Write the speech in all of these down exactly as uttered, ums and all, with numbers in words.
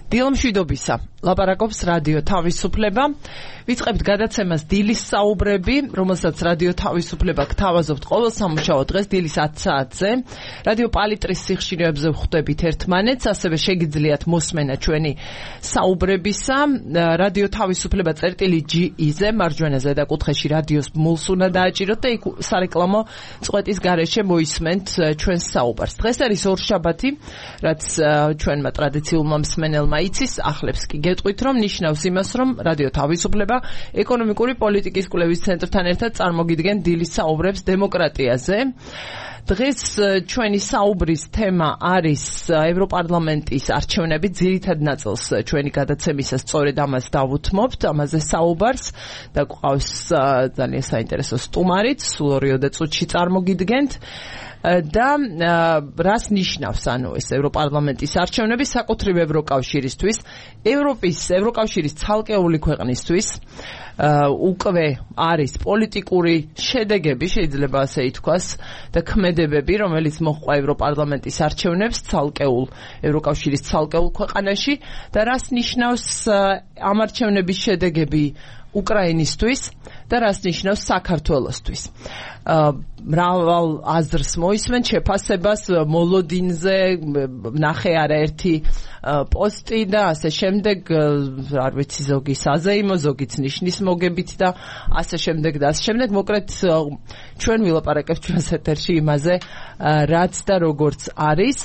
დილამშვიდობისა. ლაპარაკობს რადიო თავისუფლება. ვიწყებთ გადაცემას დილის საუბრები, რომელსაც რადიო თავისუფლება გთავაზობთ ყოველ სამუშაო დღეს დილის ათი საათზე. რადიო პალიტრის სიხშირეებზე ვხვდებით ერთმანეთს, ასევე შეგიძლიათ მოსმენა ჩვენი საუბრებისა. რადიო თავისუფლება წერტილი ჯი ი-ზე მარჯვენა ზედაკუთხეში რადიოს მულს უნდა დააჭიროთ და იქ სარეკლამო წყვეტის გარეშე მოისმენთ ჩვენს საუბარს. დღეს არის ორშაბათი, რაც ჩვენმა ტრადიციულმა მსმენელმა იცის, ახლებს კი გეტყვით, რომ ნიშნავს იმას, რომ რადიო თავისუფლება ეკონომიკური პოლიტიკის კვლევის ცენტრთან ერთად წარმოგიდგენ დილის საუბრებს დემოკრატიაზე. დღეს ჩვენი საუბრის თემა არის ევროპარლამენტის არჩევნები, ძირითად ნაწილს ჩვენი გადაცემისას სწორედ ამას დავუთმობთ, ამაზე საუბარს და გვყავს ძალიან საინტერესო სტუმარიც, სულ ორიოდე წუთში წარმოგიდგენთ. და რას ნიშნავს ანუ ეს ევროპარლამენტის არჩევნები საკუთრივ ევროკავშირისთვის, ევროპის ევროკავშირის ცალკეული ქვეყნისთვის უკვე არის პოლიტიკური შედეგები, შეიძლება ასე ითქვას, და ქმედებები, რომელიც მოჰყვა ევროპარლამენტის არჩევნებს ცალკეულ ევროკავშირის ცალკეულ ქვეყანაში და რას ნიშნავს ამ არჩევნების შედეგები უკრაინისთვის და რას ნიშნავს საქართველოსთვის. მრავალ აზრს მოისმენ, შეფასებას მოლოდინზე ნახე არაერთი პოსტი და ასე შემდეგ, არ ვიცი, ზოგი საზეიმო, ზოგიც ნიშნის მოგებით და ასე შემდეგ და ასე შემდეგ. მოკლედ ჩვენ ვილაპარაკებთ ჩვენს ეთერში იმაზე, რაც და როგორც არის.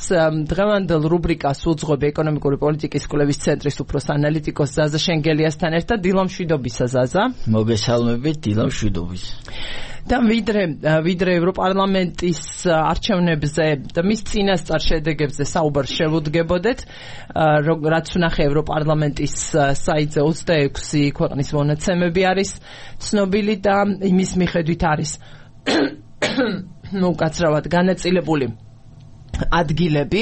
დღევანდელ რუბრიკას უძღვებ ეკონომიკური პოლიტიკის კვლევის ცენტრის უფროს ანალიტიკოს ზაზა შენგელიასთან ერთად. დილამშვიდობისა ზაზა. მოგესალმებით, დილამშვიდობის. და ვიდრე ვიდრე ევროპარლამენტის არჩევნებზე და მის წინასწარ შედეგებზე საუბარს შევუდგებოდეთ, რაც ვნახე ევროპარლამენტის საიტზე ოცდაექვსი ქვეყნის მონაცემები არის ცნობილი და იმის მიხედვით არის ნუ კაცრავად განაწილებული ადგილები.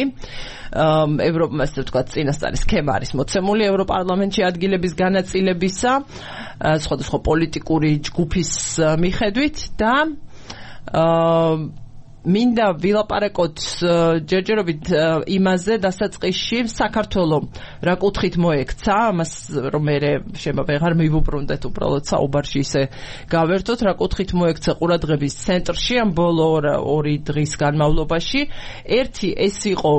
ევროპა, ასე ვთქვათ, წინასწარი სქემა არის მოცემული ევროპარლამენტში ადგილების განაწილებისა სხვადასხვა პოლიტიკური ჯგუფის მიხედვით და მინდა ვილაპარაკოთ ჯერჯერობით იმაზე დასაწყისში საქართველოს რა კუთხით მოექცა, ამას რომ მე შეიძლება ვეღარ მივუბრუნდეთ, უბრალოდ საუბარში ისე გავერთოთ, რა კუთხით მოექცა ყურადღების ცენტრში ამ ბოლო ორი დღის განმავლობაში. ერთი ეს იყო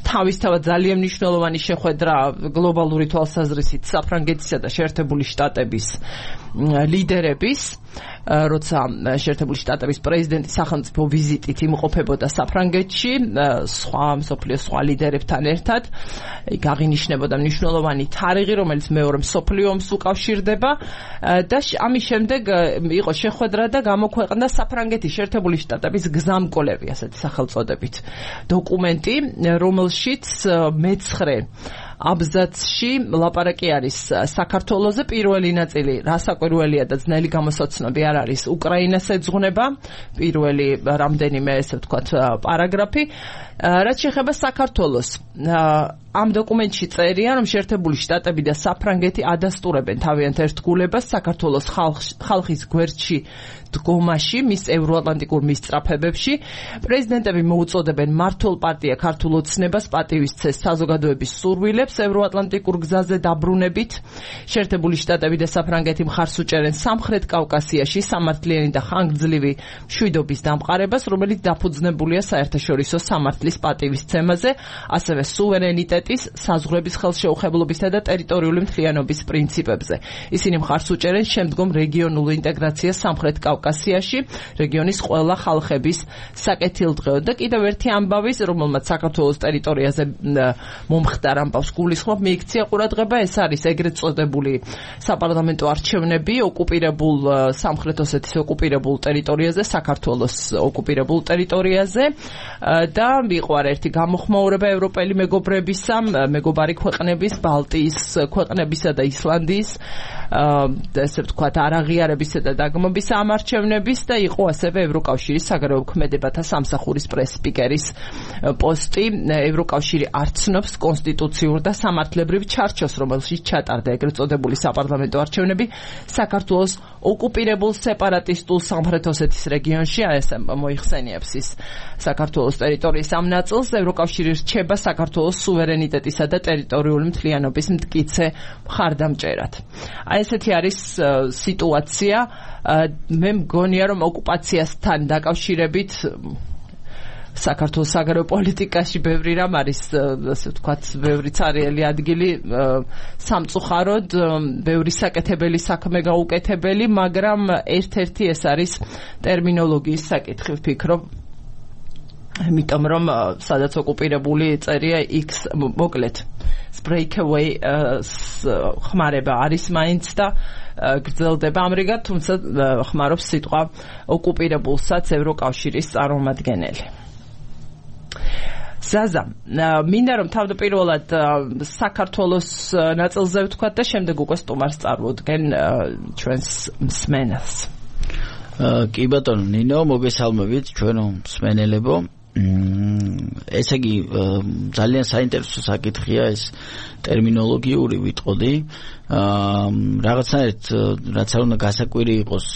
თავისთავად ძალიან მნიშვნელოვანი შეხვედრა გლობალური თვალსაზრისით საფრანგეთისა და შეერთებული შტატების ლიდერების, როცა შეერთებული შტატების პრეზიდენტი სახელმწიფო ვიზიტით იმყოფებოდა საფრანგეთში სხვა მსოფლიოს სხვა ლიდერებთან ერთად. იქ აღინიშნებოდა მნიშვნელოვანი თარიღი, რომელიც მეორე მსოფლიო ომს უკავშირდება და ამის შემდეგ იყო შეხვედრა და გამოქვეყნდა საფრანგეთის შეერთებული შტატების გზამკვლევი, ასეთი სახელწოდებით დოკუმენტი, რომელშიც მეცხრე აბზაცში ლაპარაკი არის საქართველოზე. პირველი ნაწილი რასაკვირველია და ძნელი გამოსაცნობი არ არის, უკრაინას ეძღვნება, პირველი რამდენიმე, ესე ვთქვათ, პარაგრაფი. რაც შეეხება საქართველოს, ამ დოკუმენტში წერია, რომ შეერთებული შტატები და საფრანგეთი ადასტურებენ თავიანთ ერთგულებას საქართველოს ხალხის გვერდში დგომაში, მის ევროატლანტიკურ მისწრაფებებში. პრეზიდენტები მოუწოდებენ მმართველ პარტია ქართულ ოცნებას პატივისცეს საზოგადოების სურვილებს ევროატლანტიკურ გზაზე დაბრუნებით. შეერთებული შტატები და საფრანგეთი მხარს უჭერენ სამხრეთ კავკასიაში სამართლიანი და ხანგრძლივი მშვიდობის დამყარებას, რომელიც დაფუძნებულია საერთაშორისო სამართლის პატივისცემაზე, ასევე სუვერენიტეტის, საზღვრების ხელშეუხებლობისა და ტერიტორიული მთლიანობის პრინციპებზე. ისინი მხარს უჭერენ შემდგომ რეგიონულ ინტეგრაციას სამხრეთ კავკასიაში, რეგიონის ყველა ხალხების საკეთილდღეოდ. და კიდევ ერთი ამბავი, რომელმაც საქართველოს ტერიტორიაზე მომხდარ ამბავს გულისხმობ, მიიქცია ყურადღება, ეს არის ეგრეთ წოდებული საპარლამენტო არჩევნები ოკუპირებულ სამხრეთ ოსეთის ოკუპირებულ ტერიტორიაზე, საქართველოს ოკუპირებულ ტერიტორიაზე და იყო ერთი გამოხმაურება ევროპელი მეგობრებისა, მეგობარი ქვეყნების, ბალტიის ქვეყნებისა და ისლანდიის, ესე ვთქვათ, არაღიარებისა და დაგმობის ამ არჩევნების და იყო ასევე ევროკავშირის საგარეო ქმედებათა სამსახურის პრეს-სპიკერის პოსტი. ევროკავშირი არ ცნობს კონსტიტუციურ და სამართლებრივ ჩარჩოს, რომელშიც ჩატარდა ეგრეთ წოდებული საპარლამენტო არჩევნები საქართველოს ოკუპირებულ სეპარატისტულ სამხრეთ ოსეთის რეგიონში, ეს მოიხსენიებს ის საქართველოს ტერიტორიის ამ ნაწილს. ევროკავშირი რჩება საქართველოს სუვერენი სუვერენიტეტისა და ტერიტორიული მთლიანობის მტკიცე მხარდამჭერად. აი ესეთი არის სიტუაცია. მე მგონია რომ ოკუპაციასთან დაკავშირებით საქართველოს საგარეო პოლიტიკაში ბევრი რამ არის, ასე ვთქვათ, ბევრი ცარიელი ადგილი სამწუხაროდ, ბევრი საკეთებელი საქმე გაუკეთებელი, მაგრამ ერთ-ერთი ეს არის ტერმინოლოგიის საკითხი, ვფიქრობ. იმიტომ რომ სადაც ოკუპირებული წერია X მოკლედ breakaway ხმარება არის მაინც და გრძელდება ამრიგად, თუმცა ხმარობს სიტყვა ოკუპირებულსაც ევროკავშირის წარმომადგენელი. ზაზა, მინდა რომ თავდაპირველად საქართველოს ნაწილზე ვთქვათ და შემდეგ უკვე სტუმარს წარმოდგენ ჩვენს მსმენელს. კი ბატონო ნინო, მოგესალმებით ჩვენო მსმენელებო. ესე იგი ძალიან საინტერესო საკითხია ეს ტერმინოლოგიური ვიტყოდი. რაღაცნაირად რაც არ უნდა გასაკვირი იყოს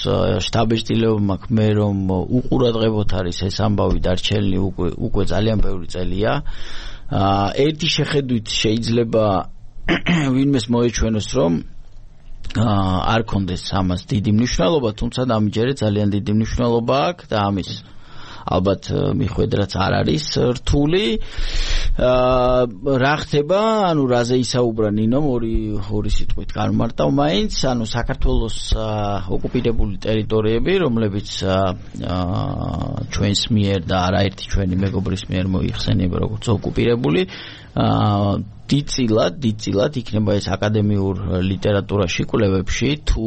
შტაბ-ეჭდილებმა მე რომ უყურადღებოთ არის ეს ამბავი დარჩენილი უკვე უკვე ძალიან ბევრი წელია. ერთი შეხედვით შეიძლება ვინმეს მოეჩვენოს რომ არ კონდეს ამას დიდი მნიშვნელობა, თუმცა დამიჯერე ძალიან დიდი მნიშვნელობა აქვს და ამის ალბათ მიხვედრაც არ არის რთული. რა ხდება, ანუ რაზე ისაუბრა ნინომ ორი ორი სიტყვით გამარტავ მაინც, ანუ საქართველოს ოკუპირებული ტერიტორიები, რომლებიც ჩვენს მიერ და არაერთი ჩვენი მეგობრის მიერ მოიხსენიება როგორც ოკუპირებული, დიდწილად, დიდწილად იქნება ეს აკადემიურ ლიტერატურაში, კვლევებში, თუ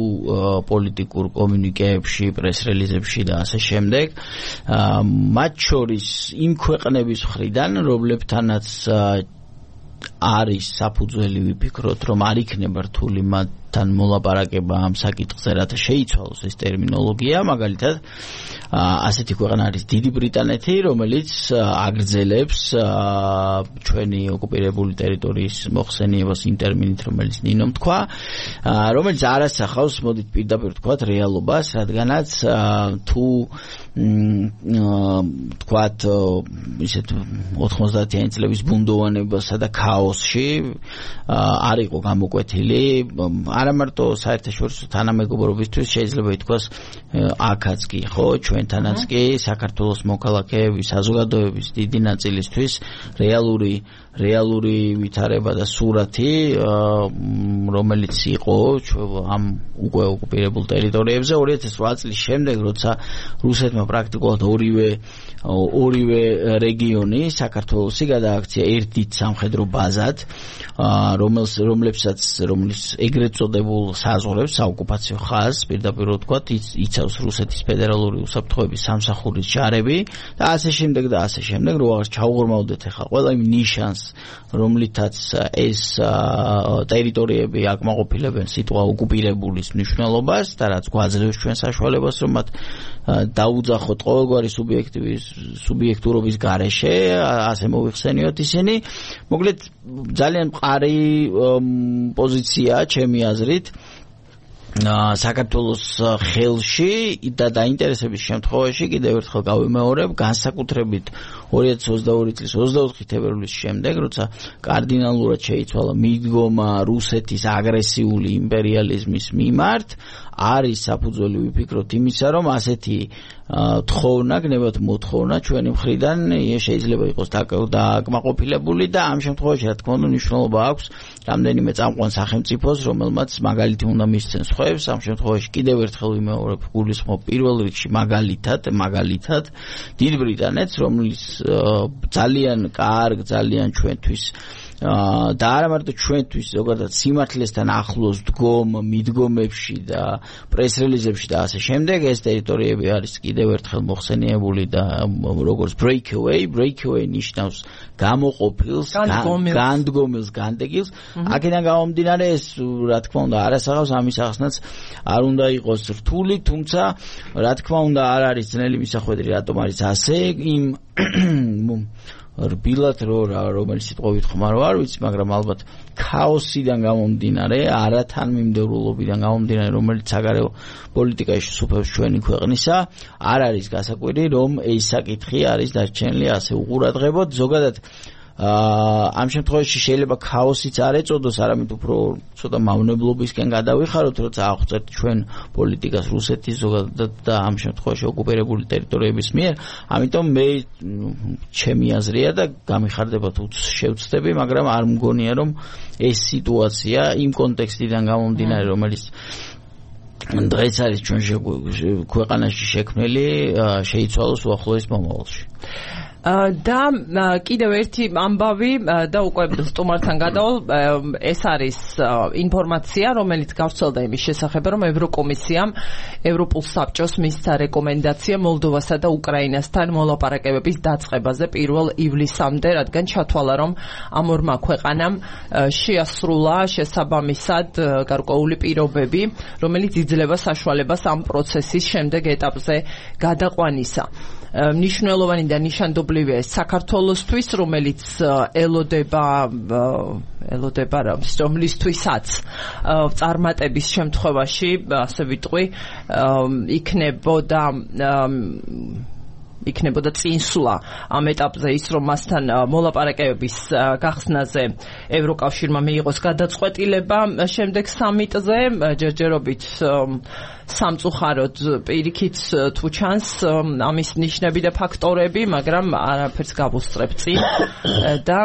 პოლიტიკურ კომუნიკეებში, პრეს-რელიზებში და ასე შემდეგ. მათ შორის იმ ქვეყნების მხრიდან, რომლებთანაც არის საფუძველი ვიფიქროთ, რომ არ იქნება რთული მათთან მოლაპარაკება ამ საკითხზე, რათა შეიცვალოს ეს ტერმინოლოგია, მაგალითად ასეთი ქვეყანა არის დიდი ბრიტანეთი, რომელიც აგრძელებს ჩვენი ოკუპირებული ტერიტორიის მოხსენიებას იმ ტერმინით, რომელიც ნინომ თქვა, რომელიც არ ასახავს, მოდით პირდაპირ ვთქვათ, რეალობას, რადგანაც თუ თქვათ ისეთ ოთხმოცდაათიანი წლების ბუნდოვანებასა და ქაოსში არ იყო გამოკვეთილი, არა მარტო საერთაშორისო თანამეგობრობისთვის, შეიძლება ითქვას აქაც კი, ხო, ჩვენთანაც კი საქართველოს მოქალაქეების საზოგადოების დიდი ნაწილისთვის რეალური რეალური ვითარება და სურათი, რომელიც იყო ამ უკვე ოკუპირებულ ტერიტორიებზე ორი ათას ოთხ წლის შემდეგ, როცა რუსეთმა პრაქტიკულად ორივე ორივე რეგიონი საქართველოსი გადააქცია ერთ დიდ სამხედრო ბაზად, რომელს რომლებსაც რომლის ეგრეთ წოდებულ საზღვრებს საოკუპაციო ხაზს პირდაპირ ვთქვათ იცავს რუსეთის ფედერალური უსაფრთხოების სამსახურის ჯარები და ასე შემდეგ და ასე შემდეგ, რო აღარ ჩაუღრმავდეთ ახლა ყველა იმ ნიშანს, რომლითაც ეს ტერიტორიები აკმაყოფილებენ სიტყვა ოკუპირებულის მნიშვნელობას და რაც გვაძლევს ჩვენ საშუალებას, რომ მათ დაუძახოთ ყოველგვარი სუბიექტივის სუბიექტურობის გარეშე, ასე მოიხსენიოთ ისინი. მოკლედ ძალიან მყარი პოზიციაა ჩემი აზრით საქართველოს ხელში და დაინტერესების შემთხვევაში კიდევ ერთხელ გავიმეორებ, განსაკუთრებით ორი ათას ოცდაორი წლის ოცდაოთხი თებერვლის შემდეგ, როცა კარდინალურად შეიცვალა მიდგომა რუსეთის აგრესიული იმპერიალიზმის მიმართ, არის საფუძველი ვიფიქროთ იმისა, რომ ასეთი თხოვნა, გნებათ მოთხოვნა ჩვენი მხრიდან შეიძლება იყოს დაკმაყოფილებული და ამ შემთხვევაში რა თქმა უნდა მნიშვნელობა აქვს რამდენიმე წამყვან სახელმწიფოს, რომელმაც მაგალითი უნდა მისცენ სხვებს. ამ შემთხვევაში კიდევ ერთხელ ვიმეორებ, გულისხმობ პირველ რიგში მაგალითად, მაგალითად დიდ ბრიტანეთს, რომლის ძალიან კარგ, ძალიან ჩვენთვის და არა მარტო ჩვენთვის, ზოგადად სიმართლესთან ახლოს დგომ მიდგომებში და პრეს-რელიზებში და ასე შემდეგ, ეს ტერიტორიები არის კიდევ ერთხელ მოხსენიებული და როგორც breakaway, breakaway ნიშნავს გამოყოფილს, განდგომილს, განდეგილს. აქედან გამომდინარე ეს რა თქმა უნდა არ ასახავს ამის ახსნაც არ უნდა იყოს რთული, თუმცა რა თქმა უნდა არ არის ძნელი მისახვედრი, რატომ არის ასე იმ რბილად რო რომელიც სიტყვებით ხმარო არ ვიცი, მაგრამ ალბათ ქაოსიდან გამომდინარე, არათანმიმდევრულობიდან გამომდინარე, რომელიც საგარეო პოლიტიკაში სუფევს ჩვენი ქვეყნისა, არ არის გასაკვირი, რომ ეს საკითხი არის დარჩენილი ასე უყურადღებოდ. ზოგადად ამ შემთხვევაში შეიძლება ქაოსიც არ ეწოდოს, არამედ უფრო ცოტა მავნებლობისკენ გადავიხაროთ, როცა აღწერთ ჩვენ პოლიტიკას რუსეთის ზოგადად და ამ შემთხვევაში ოკუპირებული ტერიტორიების მიერ. ამიტომ მე ჩემი აზრია და გამიხარდება თუ შევცდები, მაგრამ არ მგონია რომ ეს სიტუაცია იმ კონტექსტიდან გამომდინარე, რომელიც დღეს არის ჩვენ ქვეყანაში შექმნილი, შეიცვალოს უახლოეს მომავალში. და კიდევ ერთი ამბავი და უკვე სტუმართან გადავალ, ეს არის ინფორმაცია, რომელიც გავრცელდა იმის შესახებ, რომ ევროკომისიამ ევროპულ საბჭოს მისცა რეკომენდაცია მოლდოვასა და უკრაინასთან მოლაპარაკებების დაწყებაზე პირველ ივლისამდე, რადგან ჩათვალა, რომ ამ ორმა ქვეყანამ შეასრულა შესაბამისად გარკვეული პირობები, რომელიც იძლევა საშუალებას ამ პროცესის შემდეგ ეტაპზე გადაყვანისა. მნიშვნელოვანი და ნიშანდობლივია საქართველოსთვის, რომელიც ელოდება ელოდება რომლისთვისაც წარმატების შემთხვევაში, ასე ვიტყვი, იქნებოდა იქნებოდა წინსვლა ამ ეტაპზე ის, რომ მასთან მოლაპარაკებების გახსნაზე ევროკავშირმა მიიღოს გადაწყვეტილება შემდეგ სამიტზე, ჯერჯერობით სამწუხაროდ პირიქით თუ ჩანს ამის ნიშნები და ფაქტორები, მაგრამ არაფერს გავუსწრებ წინ და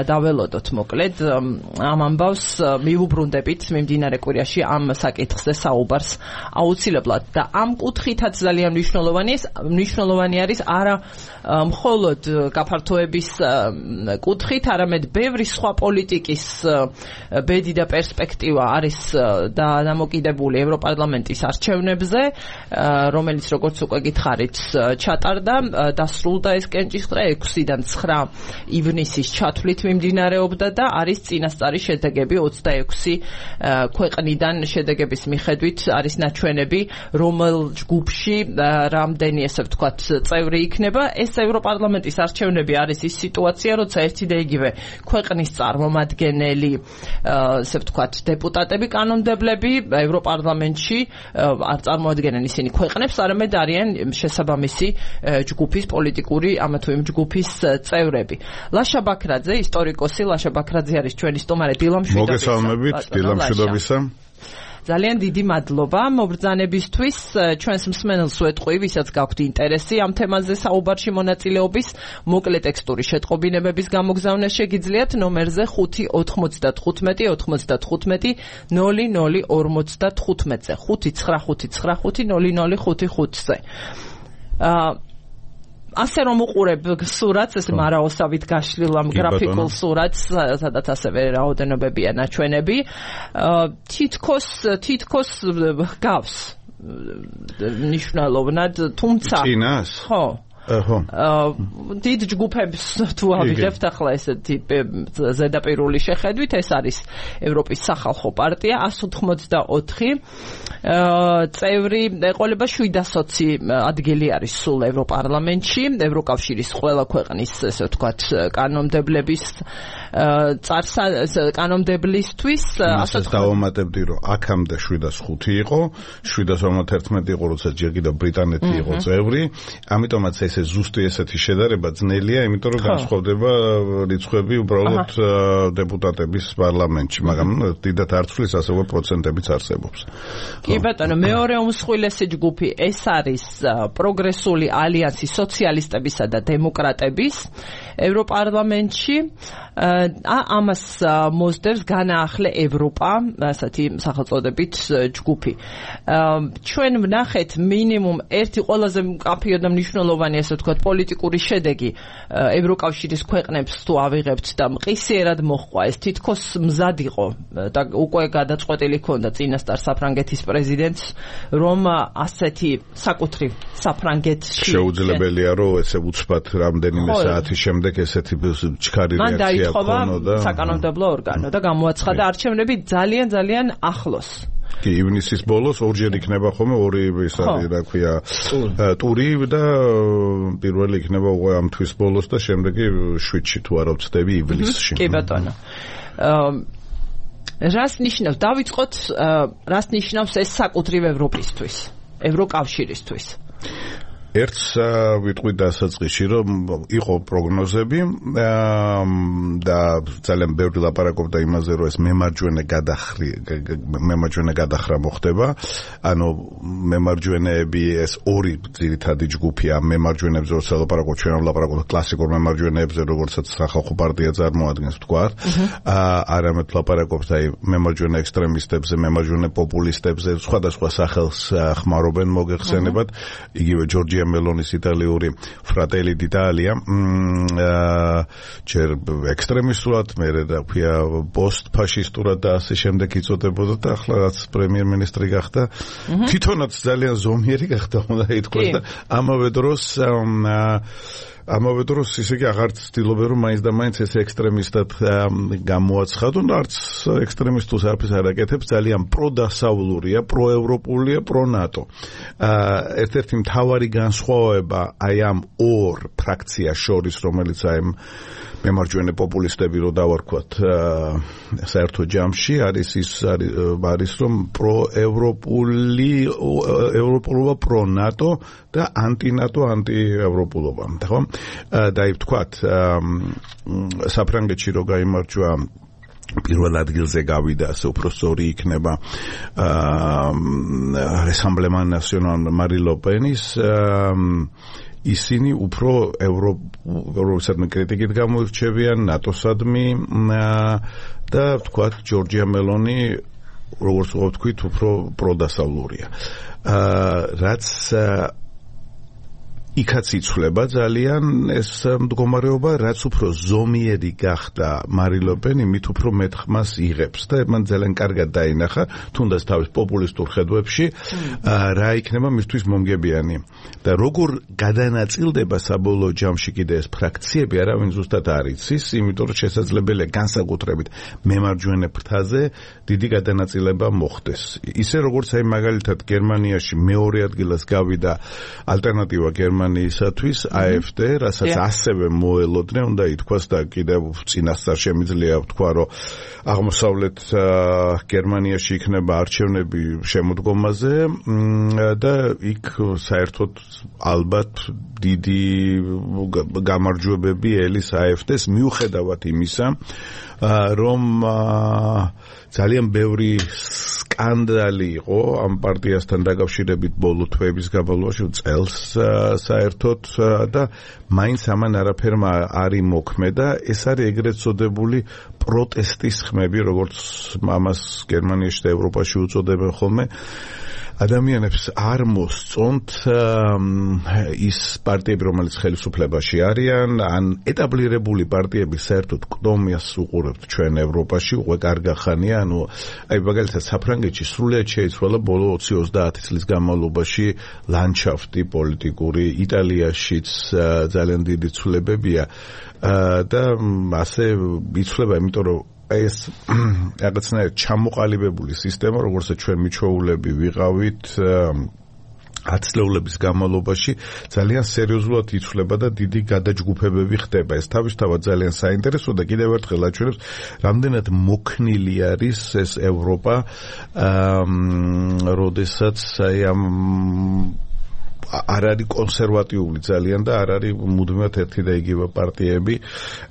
დაველოდოთ მოკლედ ამ ამბავს მივუბრუნდებით მიმდინარე კვირაში ამ საკითხზე საუბარს აუცილებლად და ამ კუთხითაც ძალიან მნიშვნელოვანი არის არა მხოლოდ გაფართოების კუთხით, არამედ ბევრი სხვა პოლიტიკის ბედი და პერსპექტივა არის დამოკიდებული ევროპარლამენტის არჩევნებზე, რომელიც როგორც უკვე გითხარით ჩატარდა, დასრულდა ეს კენჭისყრა ექვსიდან ცხრა ივნისის ჩათვლით მიმდინარეობდა და არის წინასწარი შედეგები ოცდაექვსი ქვეყნიდან შედეგების მიხედვით არის ნაჩვენები, რომელ ჯგუფში რამდენი ესე ვთქვათ წევრი იქნება. ეს ევროპარლამენტის არჩევნები არის ის სიტუაცია, როცა ერთი და იგივე ქვეყნის წარმომადგენელი, ესე ვთქვათ, დეპუტატები, კანონმდებლები ევროპარლამენტში არ წარმოადგენენ ისინი ქვეყნებს, არამედ არიან შესაბამისი ჯგუფის პოლიტიკური ამა თუ იმ ჯგუფის წევრები. ლაშა ბაქრაძე, ისტორიკოსი, ლაშა ბაქრაძე არის ჩვენი სტუმარი. დილამშვიდობისა. მოგესალმებით, დილამშვიდობისა. ძალიან დიდი მადლობა მობრძანებისთვის. ჩვენს მსმენელს ვეტყვი, ვისაც გაქვთ ინტერესი ამ თემაზე საუბარში მონაწილეობის, მოკლე ტექსტური შეტყობინებების გამოგზავნა შეგიძლიათ ნომერზე ხუთი ოთხმოცდათხუთმეტი ოცდათხუთმეტი ნული ნული ორმოცდათხუთმეტზე ხუთი ცხრა ხუთი ცხრა ხუთი ნული ნული ხუთი ხუთზე. ასე რომ უყურებ სურათს, ეს მარაოსავით გაშლილ ამ გრაფიკულ სურათს, სადაც ასევე რაოდენობებია ნაჩვენები, თითქოს თითქოს გავს მნიშვნელოვნად, თუმცა წინას? ხო. ხო. დიდ ჯგუფებს თუ ავიღებთ ახლა ესეთი ზედაპირული შეხედვით, ეს არის ევროპის სახალხო პარტია, εκατს ოთხმოცდაოთხი წევრი, ეყოლება შვიდასოცი ადგილი არის სულ ევროპარლამენტში, ევროკავშირის ყველა ქვეყნის, ესე ვთქვათ, კანონმდებლების კანონმდებლისთვის. ასაც დავამატებდი, რომ აქამდე შვიდას ხუთი იყო, შვიდას ორმოცდაერთმეტი იყო, როცა ჯერ კიდევ ბრიტანეთი იყო წევრი, ამიტომაც ეს ზუსტი ესეთი შედარება ძნელია, იმიტომ რომ განსხვავდება რიცხვები უბრალოდ დეპუტატების პარლამენტში, მაგრამ დიდად არ ცვლის, ასევე პროცენტებიც არსებობს. კი ბატონო, მეორე უმსხვილესი ჯგუფი ეს არის პროგრესული ალიანსი სოციალისტებისა და დემოკრატების ევროპარლამენტში. ამას მოსდევს განაახლე ევროპა, ასეთი სახელწოდებით ჯგუფი. ჩვენ ვნახეთ მინიმუმ ერთი ყველაზე მკაფიო და მნიშვნელოვანი, ასე ვთქვათ, პოლიტიკური შედეგი ევროკავშირის ქვეყნებს თუ ავიღებთ და მყისიერად მოჰყვა, ეს თითქოს მზად იყო და უკვე გადაწყვეტილი ჰქონდა წინასწარ საფრანგეთის პრეზიდენტს, რომ ასეთი საკუთრივ საფრანგეთში შეუძლებელია, რომ ესე უცბად რამდენიმე საათის შემდეგ ესეთი ჩქარი რეაქცია ქონოდა საკანონმდებლო ორგანო და გამოაცხადა არჩევნები ძალიან ძალიან ახლოს. კი, ივნისის ბოლოს ორჯერ იქნება ხოლმე ორი ის არის, რა ქვია, ტური და პირველი იქნება უკვე ამ თვის ბოლოს და შემდეგი შვიდში თუ არა ვწდები ივლისში. კი ბატონო. რას ნიშნავს? დავიწყოთ, რას ნიშნავს ეს საკუთრივ ევროპისთვის, ევროკავშირისთვის? ერთს ვიტყვი დასაწყისში, რომ იყო პროგნოზები და ძალიან ბევრი ლაპარაკობდა იმაზე, რომ ეს მემარჯვენე გადახრი მემარჯვენე გადახრა მოხდება. ანუ მემარჯვენეები ეს ორი ძირითადი ჯგუფია მემარჯვენეებზე, როცა ლაპარაკობ ჩვენ ლაპარაკობთ კლასიკურ მემარჯვენეებზე, როგორცაც სახალხო პარტია წარმოადგენს ვთქვათ. არამედ ლაპარაკობთ აი მემარჯვენე ექსტრემისტებზე, მემარჯვენე პოპულისტებზე, სხვადასხვა სახელს ხმარობენ მოგეხსენებათ. იგივე ჯორჯია მელონის იტალიური ფრატელი დიტალია ჯერ ექსტრემისტულად, მერე რა ქვია პოსტფაშისტურად და ასე შემდეგ იწოდებოდა და ახლა რაც პრემიერ-მინისტრი გახდა, თვითონაც ძალიან ზომიერი გახდა, უნდა ითქვას და ამავე დროს ამავე დროს ისე კი აღარ ცდილობენ რომ მაინც და მაინც ეს ექსტრემისტად გამოაცხადონ, არც ექსტრემისტულს არაფერს არ აკეთებს, ძალიან პროდასავლურია, პროევროპულია, პრონატო. ერთ-ერთი მთავარი განსხვავება აი ამ ორ ფრაქციას შორის, რომელიც აი მემარჯვენე პოპულისტები რო დავარქვათ საერთო ჯამში, არის ის არის რომ პროევროპული ევროპულობა, პრონატო და ანტინატო, ანტიევროპულობა. ხო? და აი ვთქვათ, საფრანგეთში რო გაიმარჯვა პირველ ადგილზე გავიდა, ასე უფრო სწორი იქნება რესამბლემან ნასიონალ მარი ლო პენის ისინი უფრო ევროპულობისადმი კრიტიკით გამოირჩევიან, ნატოსადმი და ვთქვათ, ჯორჯია მელონი, როგორც ვთქვით, უფრო პროდასავლურია. რაც იქაც იცვლება ძალიან ეს მდგომარეობა, რაც უფრო ზომიერი გახდა მარი ლო პენი, მით უფრო მეტ ხმას იღებს და მან ძალიან კარგად დაინახა, თუნდაც თავის პოპულისტურ ხედვებში, რა იქნება მისთვის მომგებიანი. და როგორ გადანაწილდება საბოლოო ჯამში კიდე ეს ფრაქციები, არავინ ზუსტად არ იცის, იმიტომ რომ შესაძლებელია განსაკუთრებით მემარჯვენე ფრთაზე დიდი გადანაწილება მოხდეს. ისე როგორც აი მაგალითად გერმანიაში მეორე ადგილას გავიდა ალტერნატივა გერმანიისათვის აი ეფ დე, რასაც ასევე მოელოდნენ, უნდა ითქვას და კიდევ წინასწარ შემიძლია ვთქვა, რომ აღმოსავლეთ გერმანიაში იქნება არჩევნები შემოდგომაზე და იქ საერთოდ ალბათ დიდი გამარჯვებები ელის აი ეფ დე-ს, მიუხედავად იმისა, რომ ძალიან ბევრი სკანდალი იყო ამ პარტიასთან დაკავშირებით ბოლო თვეების განმავლობაში, წელს საერთოდ და მაინც ამან არაფერმა არ იმოქმედა. ეს არის ეგრეთ წოდებული პროტესტის ხმები, როგორც ამას გერმანიაში და ევროპაში უწოდებენ ხოლმე. ადამიანებს არ მოსწონთ ის პარტიები, რომელიც ხელისუფლებაში არიან, ან ეტაბლირებული პარტიები საერთოდ კდომას უყურებთ ჩვენ ევროპაში, უკვე კარგი ხანია, ანუ აი მაგალითად საფრანგეთში სრულიად შეიცვალა ბოლო ოცი ოცდაათი წლის განმავლობაში ლანდშაფტი პოლიტიკური, იტალიაშიც ძალიან დიდი ცვლილებებია და ასე იცვლება, იმიტომ რომ ეს რაღაცნაირად ჩამოყალიბებული სისტემა, როგორც ჩვენ მიჩვეულები ვიყავით ათწლეულების განმავლობაში, ძალიან სერიოზულად იცვლება და დიდი გადაჯგუფებები ხდება. ეს თავისთავად ძალიან საინტერესო და კიდევ ერთხელ აჩვენებს, რამდენად მოქნილი არის ეს ევროპა, როდესაც აი ამ არ არის კონსერვატიული ძალიან და არ არის მუდმივად ერთი და იგივე პარტიები.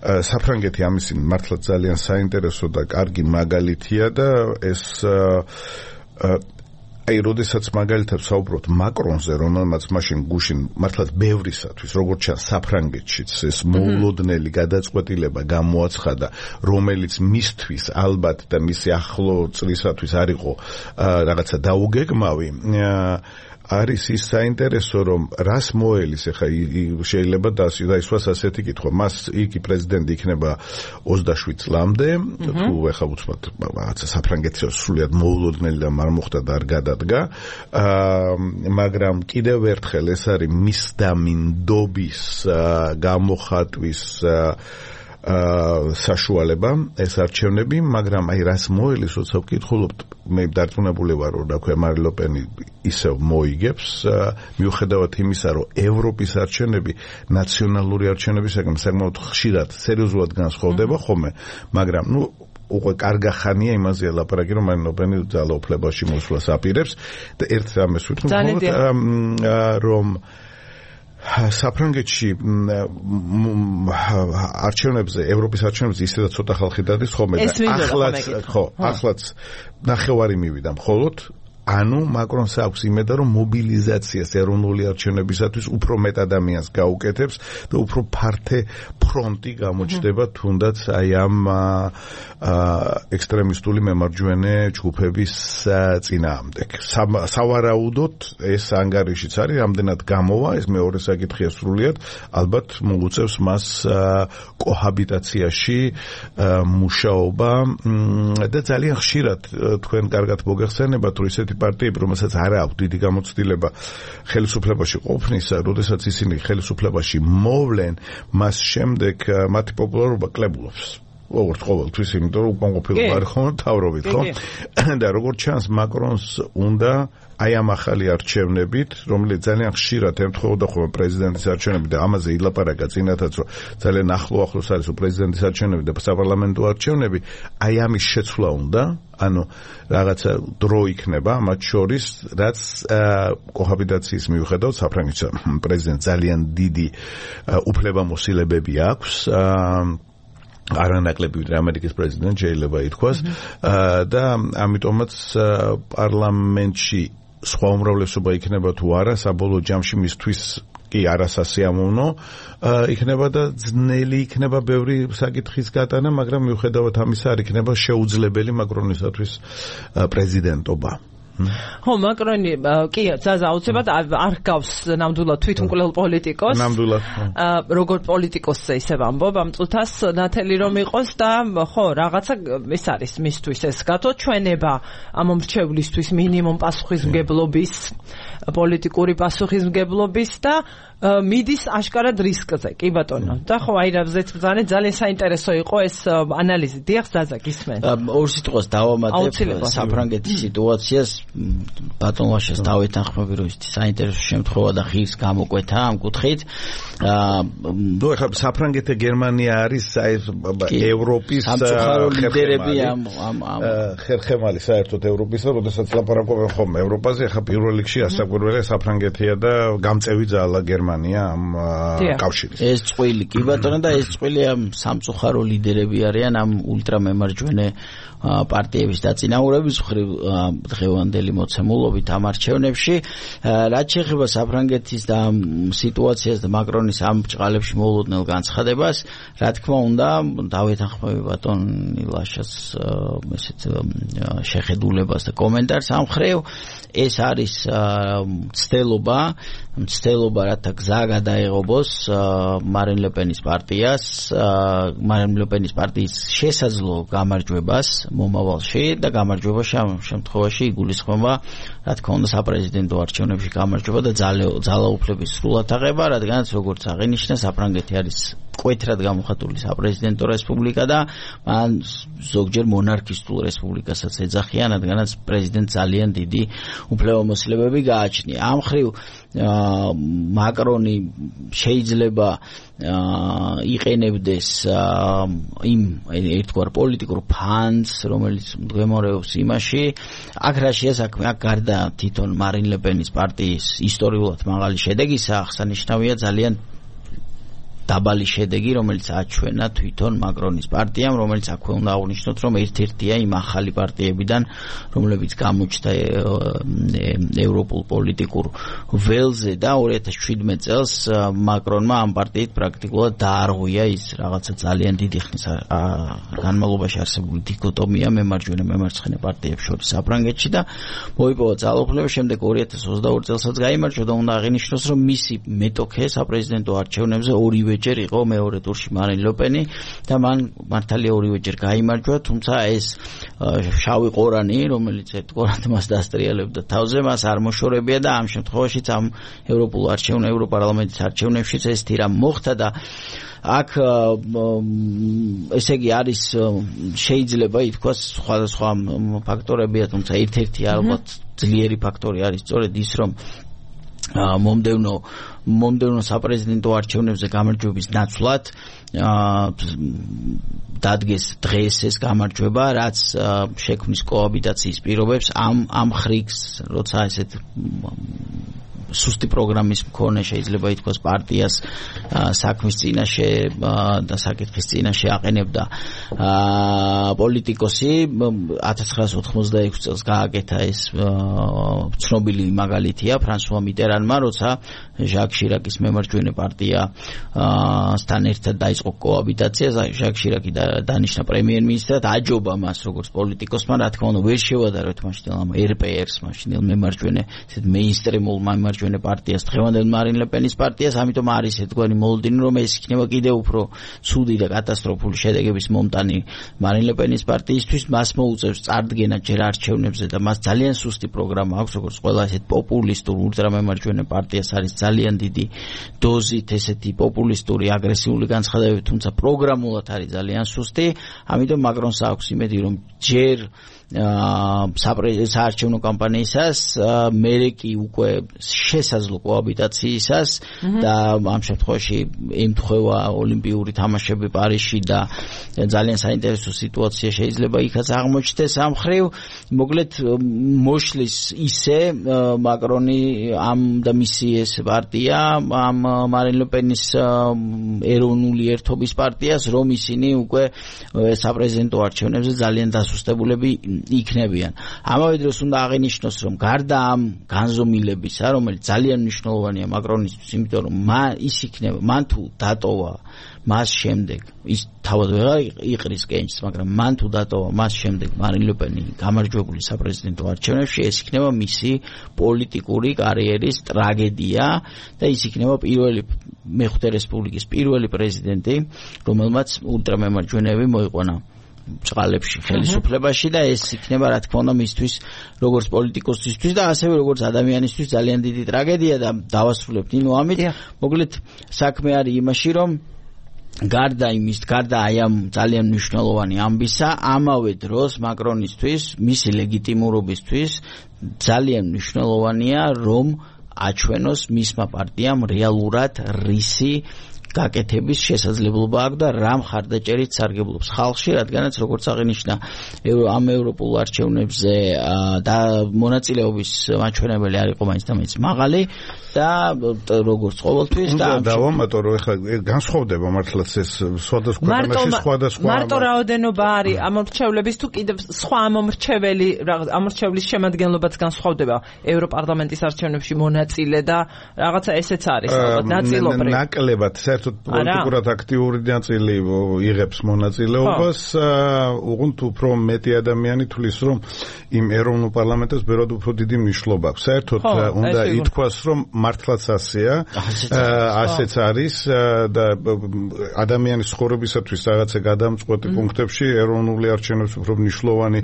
საფრანგეთი ამისი მართლა ძალიან საინტერესო და კარგი მაგალითია და ეს აი როდესაც მაგალითად საუბრობთ მაკრონზე, რომელმაც მაშინ გუშინ მართლაც ბევრისათვის, როგორც ჩანს საფრანგეთშიც ეს მოულოდნელი გადაწყვეტილება გამოაცხადა, რომელიც მისთვის ალბათ და მისი ახლო წლისათვის არ იყო რაღაცა დაუგეგმავი, არის ის საინტერესო, რომ რას მოელის, ეხა შეიძლება დაისვას ასეთი კითხვა, მას იგი პრეზიდენტი იქნება ოცდაშვიდ წლამდე, თუ ეხა უცბად რაღაცა საფრანგეთის სრულიად მოულოდნელი და არ მოხდა და არ გადადგა, მაგრამ კიდევ ერთხელ ეს არის მისდამინდობის გამოხატვის საშუალება, ეს არჩევნები, მაგრამ აი რას მოელის, როცა ვკითხულობთ, მე დარწმუნებული ვარ, რომ რა ქვია მარი ლო პენი ისევ მოიგებს, მიუხედავად იმისა, რომ ევროპის არჩევნები ნაციონალური არჩევნებისაგან საკმაოდ ხშირად სერიოზულად განსხვავდება ხოლმე, მაგრამ ნუ უკვე კარგა ხანია იმაზეა ლაპარაკი, რომ მარი ლო პენი ძალაუფლებაში მოსვლას აპირებს და ერთ რამეს ვიტყვი, რომ საფრანგეთში არჩევნებზე, ევროპის არჩევნებზე ისედაც ცოტა ხალხი დადის ხოლმე და ახლაც ხო, ახლაც ნახევარი მივიდა მხოლოდ ანუ მაკრონს აქვს იმედა რომ მობილიზაციას ეროვნული არჩევნებისათვის უფრო მეტ ადამიანს გაუკეთებს და უფრო ფართე ფრონტი გამოჩნდება თუნდაც აი ამ ექსტრემისტული მემარჯვენე ჯგუფების წინააღმდეგ. სავარაუდოდ ეს ანგარიშიც არის, რამდენად გამოვა, ეს მეორე საკითხია სრულიად, ალბათ მოუწევს მას კოჰაბიტაციაში მუშაობა და ძალიან ხშირად თქვენ კარგად მოგეხსენებათ რომ ისეთი პარტიები, რომელსაც არ აქვს დიდი გამოცდილება ხელისუფლებაში ყოფნისა, როდესაც ისინი ხელისუფლებაში მოვლენ, მას შემდეგ მათი პოპულარობა კლებულობს. როგორც ყოველთვის, იმიტომ რომ უკან ყოფილობა არ ხომ თავრობით, ხო? და როგორც ჩანს, მაკრონს უნდა აი ამ ახალი არჩევნებით, რომელიც ძალიან ხშირად ემთხვეოდა ხოლმე პრეზიდენტის არჩევნები და ამაზე ილაპარაკა წინათაც, რომ ძალიან ახლო-ახლოს არის პრეზიდენტის არჩევნები და საპარლამენტო არჩევნები, აი ამის შეცვლა უნდა, ანუ რაღაცა დრო იქნება მათ შორის, რაც კოჰაბიტაციის მიუხედავად საფრანგეთის პრეზიდენტს ძალიან დიდი უფლებამოსილებები აქვს. არანაკლები ვიდრე ამერიკის პრეზიდენტი შეიძლება ითქვას და ამიტომაც პარლამენტში სხვა უმრავლესობა იქნება თუ არა საბოლოო ჯამში მისთვის კი არასასიამოვნო იქნება და ძნელი იქნება ბევრი საკითხის გატანა, მაგრამ მიუხედავად ამისა არ იქნება შეუძლებელი მაკრონისათვის პრეზიდენტობა. ხო, მაკრონი კი ზაზა აუცილებლად არ გავს ნამდვილად თვითმკვლელ პოლიტიკოს. ნამდვილად. როგორ პოლიტიკოსზე ისე ვამბობ, ამ წუთას ნათელი რომ იყოს და ხო, რაღაცა ეს არის მისთვის ეს გათოჩვენება ამ მრჩევლისთვის მინიმუმ პასუხისმგებლობის, პოლიტიკური პასუხისმგებლობის და მიდის აშკარად რისკზე, კი ბატონო. და ხო, აი რაზეც ბრძანე ძალიან საინტერესო იყო ეს ანალიზი. დიახ, ზაზა გისმენ. ორ სიტყვას დავამატებ საფრანგეთის სიტუაციას. ბატონ ვაშას დავეთანხმები რომ ის საინტერესო შემთხვევა და ხის გამოკვეთა ამ კუთხით. ნუ ეხლა საფრანგეთი გერმანია არის აი ევროპის სამწუხარო ლიდერები ამ ამ ხერხემალი საერთოდ ევროპისა, როდესაც ლაპარაკობენ ხოლმე ევროპაზე, ეხლა პირველ რიგში ასაკვირველია საფრანგეთია და გამწევი ძალა გერმანია ამ კავშირის. ეს წყვილი კი ბატონო და ეს წყვილი ამ სამწუხარო ლიდერები არიან ამ ულტრამემარჯვენე პარტიების დაწინაურების მხრივ დღევანდელი მოცემულობით ამ არჩევნებში. რაც შეეხება საფრანგეთის და სიტუაციას და მაკრონის ამ ბრჭყალებში მოულოდნელ განცხადებას, რა თქმა უნდა, დავეთანხმები ბატონ ილაშას ესეთ შეხედულებას და კომენტარს ამ მხრივ. ეს არის ცდელობა, ცდელობა რათა გზა გადაეღობოს მარინ ლე-პენის პარტიას, მარინ ლე-პენის პარტიის შესაძლო გამარჯვებას მომავალში და გამარჯვებაში ამ შემთხვევაში იგულისხმება, რა თქმა უნდა, საპრეზიდენტო არჩევნებში გამარჯვება და ძალაუფლების სრულად აღება, რადგანაც როგორც აღინიშნა, საფრანგეთი არის კვეთრად გამოხატული საპრეზიდენტო რესპუბლიკა და მან ზოგჯერ მონარქისტულ რესპუბლიკასაც ეძახიან, რადგანაც პრეზიდენტს ძალიან დიდი უფლებამოსილებები გააჩნია. ამ მხრივ მაკრონი შეიძლება იყენებდეს იმ ერთგვარ პოლიტიკურ ფანს, რომელიც მდგომარეობს იმაში, აქ რა შეასაქმე, აქ გარდა თვითონ მარინ ლე-პენის პარტიის ისტორიულად მაღალი შედეგისა, აღსანიშნავია ძალიან დაბალი შედეგი, რომელიც აჩვენა თვითონ მაკრონის პარტიამ, რომელიც აქვე უნდა აღვნიშნოთ, რომ ერთ-ერთია იმ ახალი პარტიებიდან, რომლებიც გამოჩნდა ევროპულ პოლიტიკურ ველზე და ორი ათას შვიდმეტ წელს მაკრონმა ამ პარტიით პრაქტიკულად დაარღვია ის რაღაცა ძალიან დიდი ხნის განმავლობაში არსებული დიქოტომია მემარჯვენე მემარცხენე პარტიებს შორის საფრანგეთში და მოიპოვა ძალაუფლება, შემდეგ ორი ათას ოცდაორი წელსაც გაიმარჯვა და უნდა აღინიშნოს, რომ მისი მეტოქე საპრეზიდენტო არჩევნებზე ორივე ჯერ იყო მეორე ტურში მარინ ლე-პენი და მან მართალია ორივეჯერ გაიმარჯვა, თუმცა ეს შავი ყორანი, რომელიც ერთგვარად მას დასტრიალებდა თავზე, მას არ მოშორებია და ამ შემთხვევაშიც ამ ევროპულ არჩევნ ევროპარლამენტის არჩევნებშიც ეს თირა მოხდა და აქ ესე იგი არის შეიძლება ითქვას სხვადასხვა ფაქტორებია, თუმცა ერთ-ერთი ალბათ ძლიერი ფაქტორი არის სწორედ ის, რომ მომდევნო მომდევნო საპრეზიდენტო არჩევნებზე გამარჯვების ნაცვლად დადგეს დღეს ეს გამარჯვება, რაც შექმნის კოაბიტაციის პირობებს ამ ამ ხრიგს, როცა ესეთ სუსტი პროგრამის მქონე შეიძლება ითქვას პარტიას საქმის წინაშე და საკითხის წინაშე აყენებდა პოლიტიკოსი ათას ცხრაას ოთხმოცდაექვსი წელს გააკეთა ეს ცნობილი მაგალითია ფრანსუა მიტერანმა როცა ჟაკ შირაკის მემარჯვენე პარტია სთან ერთად დაიწყო კოაბიტაცია ჟაკ შირაკი დანიშნა პრემიერ-მინისტრად აჯობა მას როგორც პოლიტიკოსმა რა თქმა უნდა ვერ შევადაროთ მაშინ ამ ერ პე ერს მაშინ მემარჯვენე ესეთ მეინსტრიმულ მემარჯვენე პარტიას დღევანდელ მარინ ლე პენის პარტიას ამიტომ არის ერთგვარი მოლოდინი რომ ეს იქნება კიდევ უფრო ცუდი და კატასტროფული შედეგების მომტანი მარინ ლე პენის პარტიისთვის მას მოუწევს წარდგენა ჯერ არჩევნებზე და მას ძალიან სუსტი პროგრამა აქვს როგორც ყველა ესეთ პოპულისტურ ულტრამემარჯვენე პარტიას არის ძალიან დიდი დოზით ესეთი პოპულისტური აგრესიული განცხადებები თუმცა პროგრამულად არის ძალიან სუსტი ამიტომ მაკრონს აქვს იმედი რომ ჯერ საარჩევნო კამპანიისას მერე კი უკვე შესაძლო კოაბიტაციისას და ამ შემთხვევაში ემთხვევა ოლიმპიური თამაშები პარიზში და ძალიან საინტერესო სიტუაცია შეიძლება იქაც აღმოჩნდეს ამ ხრივ მოკლედ მოშლის ისე მაკრონი ამ და მისი ეს პარტია ამ მარინ ლე პენის ეროვნული ერთობის პარტიას რომ ისინი უკვე საპრეზიდენტო არჩევნებზე ძალიან დასუსტებულები იქნებიან. ამავე დროს უნდა აღინიშნოს, რომ გარდა ამ განზომილებისა, რომელიც ძალიან მნიშვნელოვანია მაკრონისთვის, იმიტომ რომ ის იქნება, მან თუ დატოვა მას შემდეგ, ის თავად ვეღარ იყრის კენჭს, მაგრამ მან თუ დატოვა მას შემდეგ მარინ ლე პენი გამარჯვებული საპრეზიდენტო არჩევნებში, ეს იქნება მისი პოლიტიკური კარიერის ტრაგედია და ის იქნება პირველი მეხუთე რესპუბლიკის პირველი პრეზიდენტი, რომელმაც ულტრამემარჯვენეები მოიყვანა ჭყალებში ხელისუფლებაში და ეს იქნება რა თქმა უნდა მისთვის როგორც პოლიტიკოსისთვის და ასევე როგორც ადამიანისთვის ძალიან დიდი ტრაგედია და დავასრულებთ ნინო ამით მოკლედ საქმე არის იმაში რომ გარდა იმის გარდა აი ამ ძალიან მნიშვნელოვანი ამბისა ამავე დროს მაკრონისთვის მისი ლეგიტიმურობისთვის ძალიან მნიშვნელოვანია რომ აჩვენოს მისმა პარტიამ რეალურად რისი გაკეთების შესაძლებლობა აქვს და რა მხარდაჭერით სარგებლობს ხალხში, რადგანაც როგორც აღინიშნა ამ ევროპულ არჩევნებზე და მონაწილეობის მაჩვენებელი არ იყო მაინც და მაინც მაღალი და როგორც ყოველთვის და დავამატო რომ ეხლა განსხვავდება მართლაც ეს სხვადასხვა ქვეყანაში სხვადასხვა მარტო რაოდენობა არის ამორჩევლების თუ კიდევ სხვა ამორჩეველი ამორჩევლის შემადგენლობაც განსხვავდება ევროპარლამენტის არჩევნებში მონაწილე და რაღაცა ესეც არის ალბათ ნაწილობრივ ნაკლებად საერთოდ პოლიტიკურად აქტიური ნაწილი იღებს მონაწილეობას უღუნთ უფრო მეტი ადამიანი თulis რომ იმ ეროვნულ პარლამენტს ბევრად უფრო დიდი მნიშვნელობა აქვს საერთოდ უნდა ითქვას რომ მართლაც ასეა ასეც არის და ადამიანის ცხოვრებისათვის რაღაცა გადამწყვეტი პუნქტებში ეროვნული არჩევნებს უფრო მნიშვნელოვანი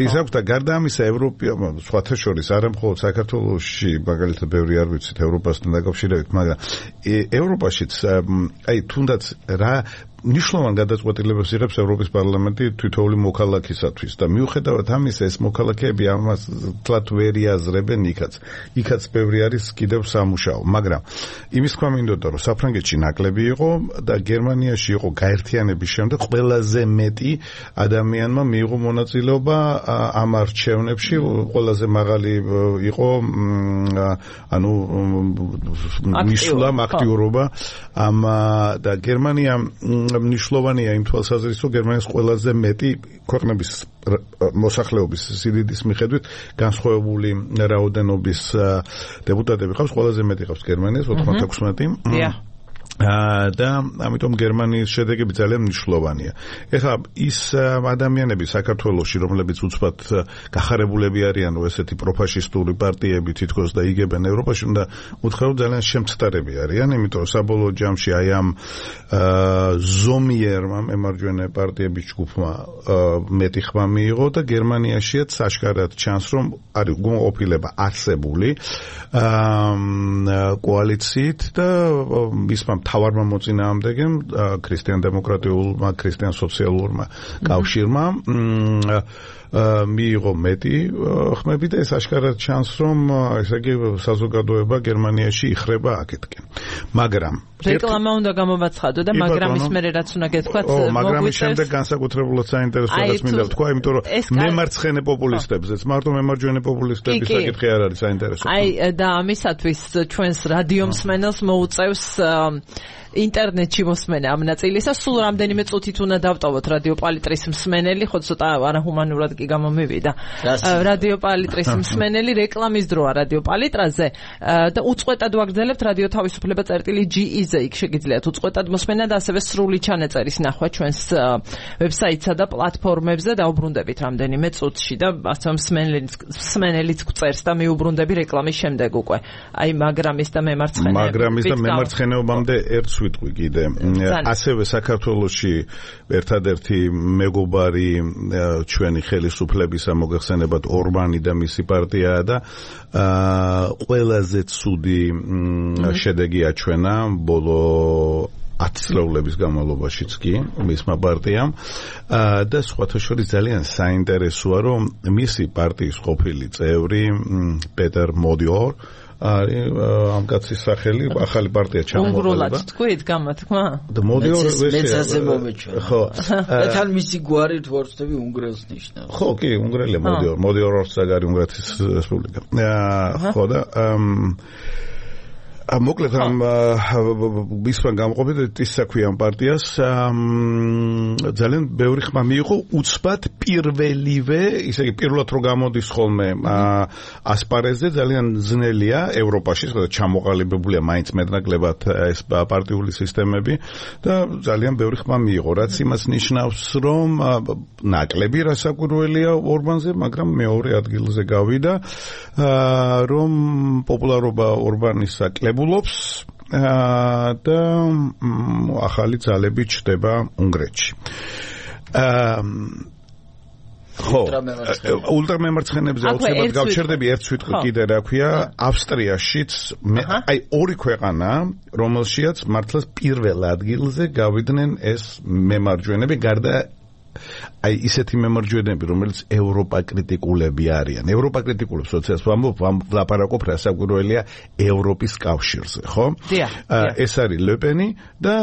ის აქვს და გარდა ამისა ევროპა სხვათა შორის არა მხოლოდ საქართველოში მაგალითად ბევრი არ ვიცით ევროპასთან დაკავშირებით მაგრამ ევროპაშიც აი თუნდაც რა ნიშნულოვან გადაწყვეტილებას იღებს ევროპის პარლამენტი თითოეული მოქალაქისათვის და მიუხედავად ამისა ეს მოქალაქეები ამას თლათ ვერ იაზრებენ იქაც იქაც ბევრი არის კიდევ სამუშაო მაგრამ იმის თქვა მინდოდა რომ საფრანგეთში ნაკლები იყო და გერმანიაში იყო გაერთიანების შემდეგ ყველაზე მეტი ადამიანმა მიიღო მონაწილეობა ამ არჩევნებში ყველაზე მაღალი იყო ანუ მისვლა აქტიურობა ამ და გერმანია მნიშვნელოვანია იმ თვალსაზრისით, რომ გერმანიის ყველაზე მეტი ქვეყნების მოსახლეობის სიდიდის მიხედვით განსხვავებული რაოდენობის დეპუტატები ყავს, ყველაზე მეტი ყავს გერმანიის ოთხმოცდაექვსმეტი. და ამიტომ გერმანიის შედეგები ძალიან მნიშვნელოვანია. ეხლა ის ადამიანები საქართველოში, რომლებიც უცბად გახარებულები არიან ესეთი პროფაშისტური პარტიები თითქოს და იგებენ ევროპაში, უნდა უთხრა ძალიან შემცდარები არიან, იმიტომ რომ საბოლოო ჯამში აი ამ ზომიერმა მემარჯვენე პარტიების ჯგუფმა მეტი ხმა მიიღო და გერმანიაშიაც საშკარად ჩანს, რომ არის გონყოფილება არსებული კოალიციით და მისმა თავარმა მოწინააღმდეგემ ქრისტიან დემოკრატიულმა ქრისტიან სოციალურმა კავშირმა მიიღო მეტი ხმები და ეს აშკარად ჩანს, რომ ესე იგი საზოგადოება გერმანიაში იხრება აქეთკენ. მაგრამ რეკლამა უნდა გამოვაცხადო და მაგრამ ის მერე რაც უნდა გეთქვათ, მაგრამ ის შემდეგ განსაკუთრებულად საინტერესოა რაც მინდა ვთქვა, იმიტომ რომ მემარცხენე პოპულისტებზეც, მარტო მემარჯვენე პოპულისტების საკითხი არ არის საინტერესო. აი და ამისათვის ჩვენს რადიო მსმენელს მოუწევს ინტერნეტში მოსმენა ამ ნაწილისა, სულ რამდენიმე წუთით უნდა დავტოვოთ რადიო პალიტრის მსმენელი, ხო ცოტა არაჰუმანურად კი გამომივიდა. რადიო პალიტრის მსმენელი რეკლამის დროა რადიო პალიტრაზე და უწყვეტად ვაგრძელებთ რადიო თავისუფლება წერტილი ჯი ი-ზე, იქ შეგიძლიათ უწყვეტად მოსმენა და ასევე სრული ჩანაწერის ნახვა ჩვენს ვებსაიტსა და პლატფორმებზე, დაუბრუნდებით რამდენიმე წუთში და ასე მსმენელიც მსმენელიც გვწერს და მიუბრუნდები რეკლამის შემდეგ უკვე. აი მაგრამის და მემარცხენეობის მაგრამის და მემარცხენეობამდე ერთ ვიტყვი კიდე. ასევე საქართველოში ერთადერთი მეგობარი ჩვენი ხელისუფლებისა მოგეხსენებათ ორბანი და მისი პარტიაა და ყველაზე ცუდი შედეგი აჩვენა ბოლო ათი წლეულების განმავლობაშიც კი მისმა პარტიამ და სხვათა შორის ძალიან საინტერესოა, რომ მისი პარტიის ყოფილი წევრი პეტერ მოდიორ არის ამ კაცის სახელი, ახალი პარტია ჩამოყალიბდა. უნგრულად თქვით გამოთქმა? და მოდიორ მეცაზე მომეჩვენა. ხო. თან მისი გვარი თორცდები უნგრელს ნიშნავს. ხო, კი, უნგრელია მოდიორ, მოდიორ ორსაგარი უნგრეთის რესპუბლიკა. ხო და მოკლედ ამ მისმა გამყოფით ის საქმე ამ პარტიას ძალიან ბევრი ხმა მიიღო უცბად პირველივე, ისე იგი პირველად რო გამოდის ხოლმე ასპარეზზე ძალიან ძნელია ევროპაში, სადაც ჩამოყალიბებულია მაინც მეტნაკლებად ეს პარტიული სისტემები და ძალიან ბევრი ხმა მიიღო, რაც იმას ნიშნავს, რომ ნაკლები რასაკვირველია ორბანზე, მაგრამ მეორე ადგილზე გავიდა, რომ პოპულარობა ორბანის აკლებულობს და ახალი ძალები ჩდება უნგრეთში. ხო, ულტრამემარცხენეებზე აუცილებლად გავჩერდები ერთ სიტყვით კიდე რა ქვია, ავსტრიაშიც აი ორი ქვეყანა, რომელშიაც მართლაც პირველ ადგილზე გავიდნენ ეს მემარჯვენეები, გარდა აი ისეთი მემარჯვენეები, რომელიც ევროპა კრიტიკულები არიან. ევროპა კრიტიკულებს როდესაც ვამბობ, ვლაპარაკობ რასაკვირველია ევროპის კავშირზე, ხო? ეს არის ლეპენი და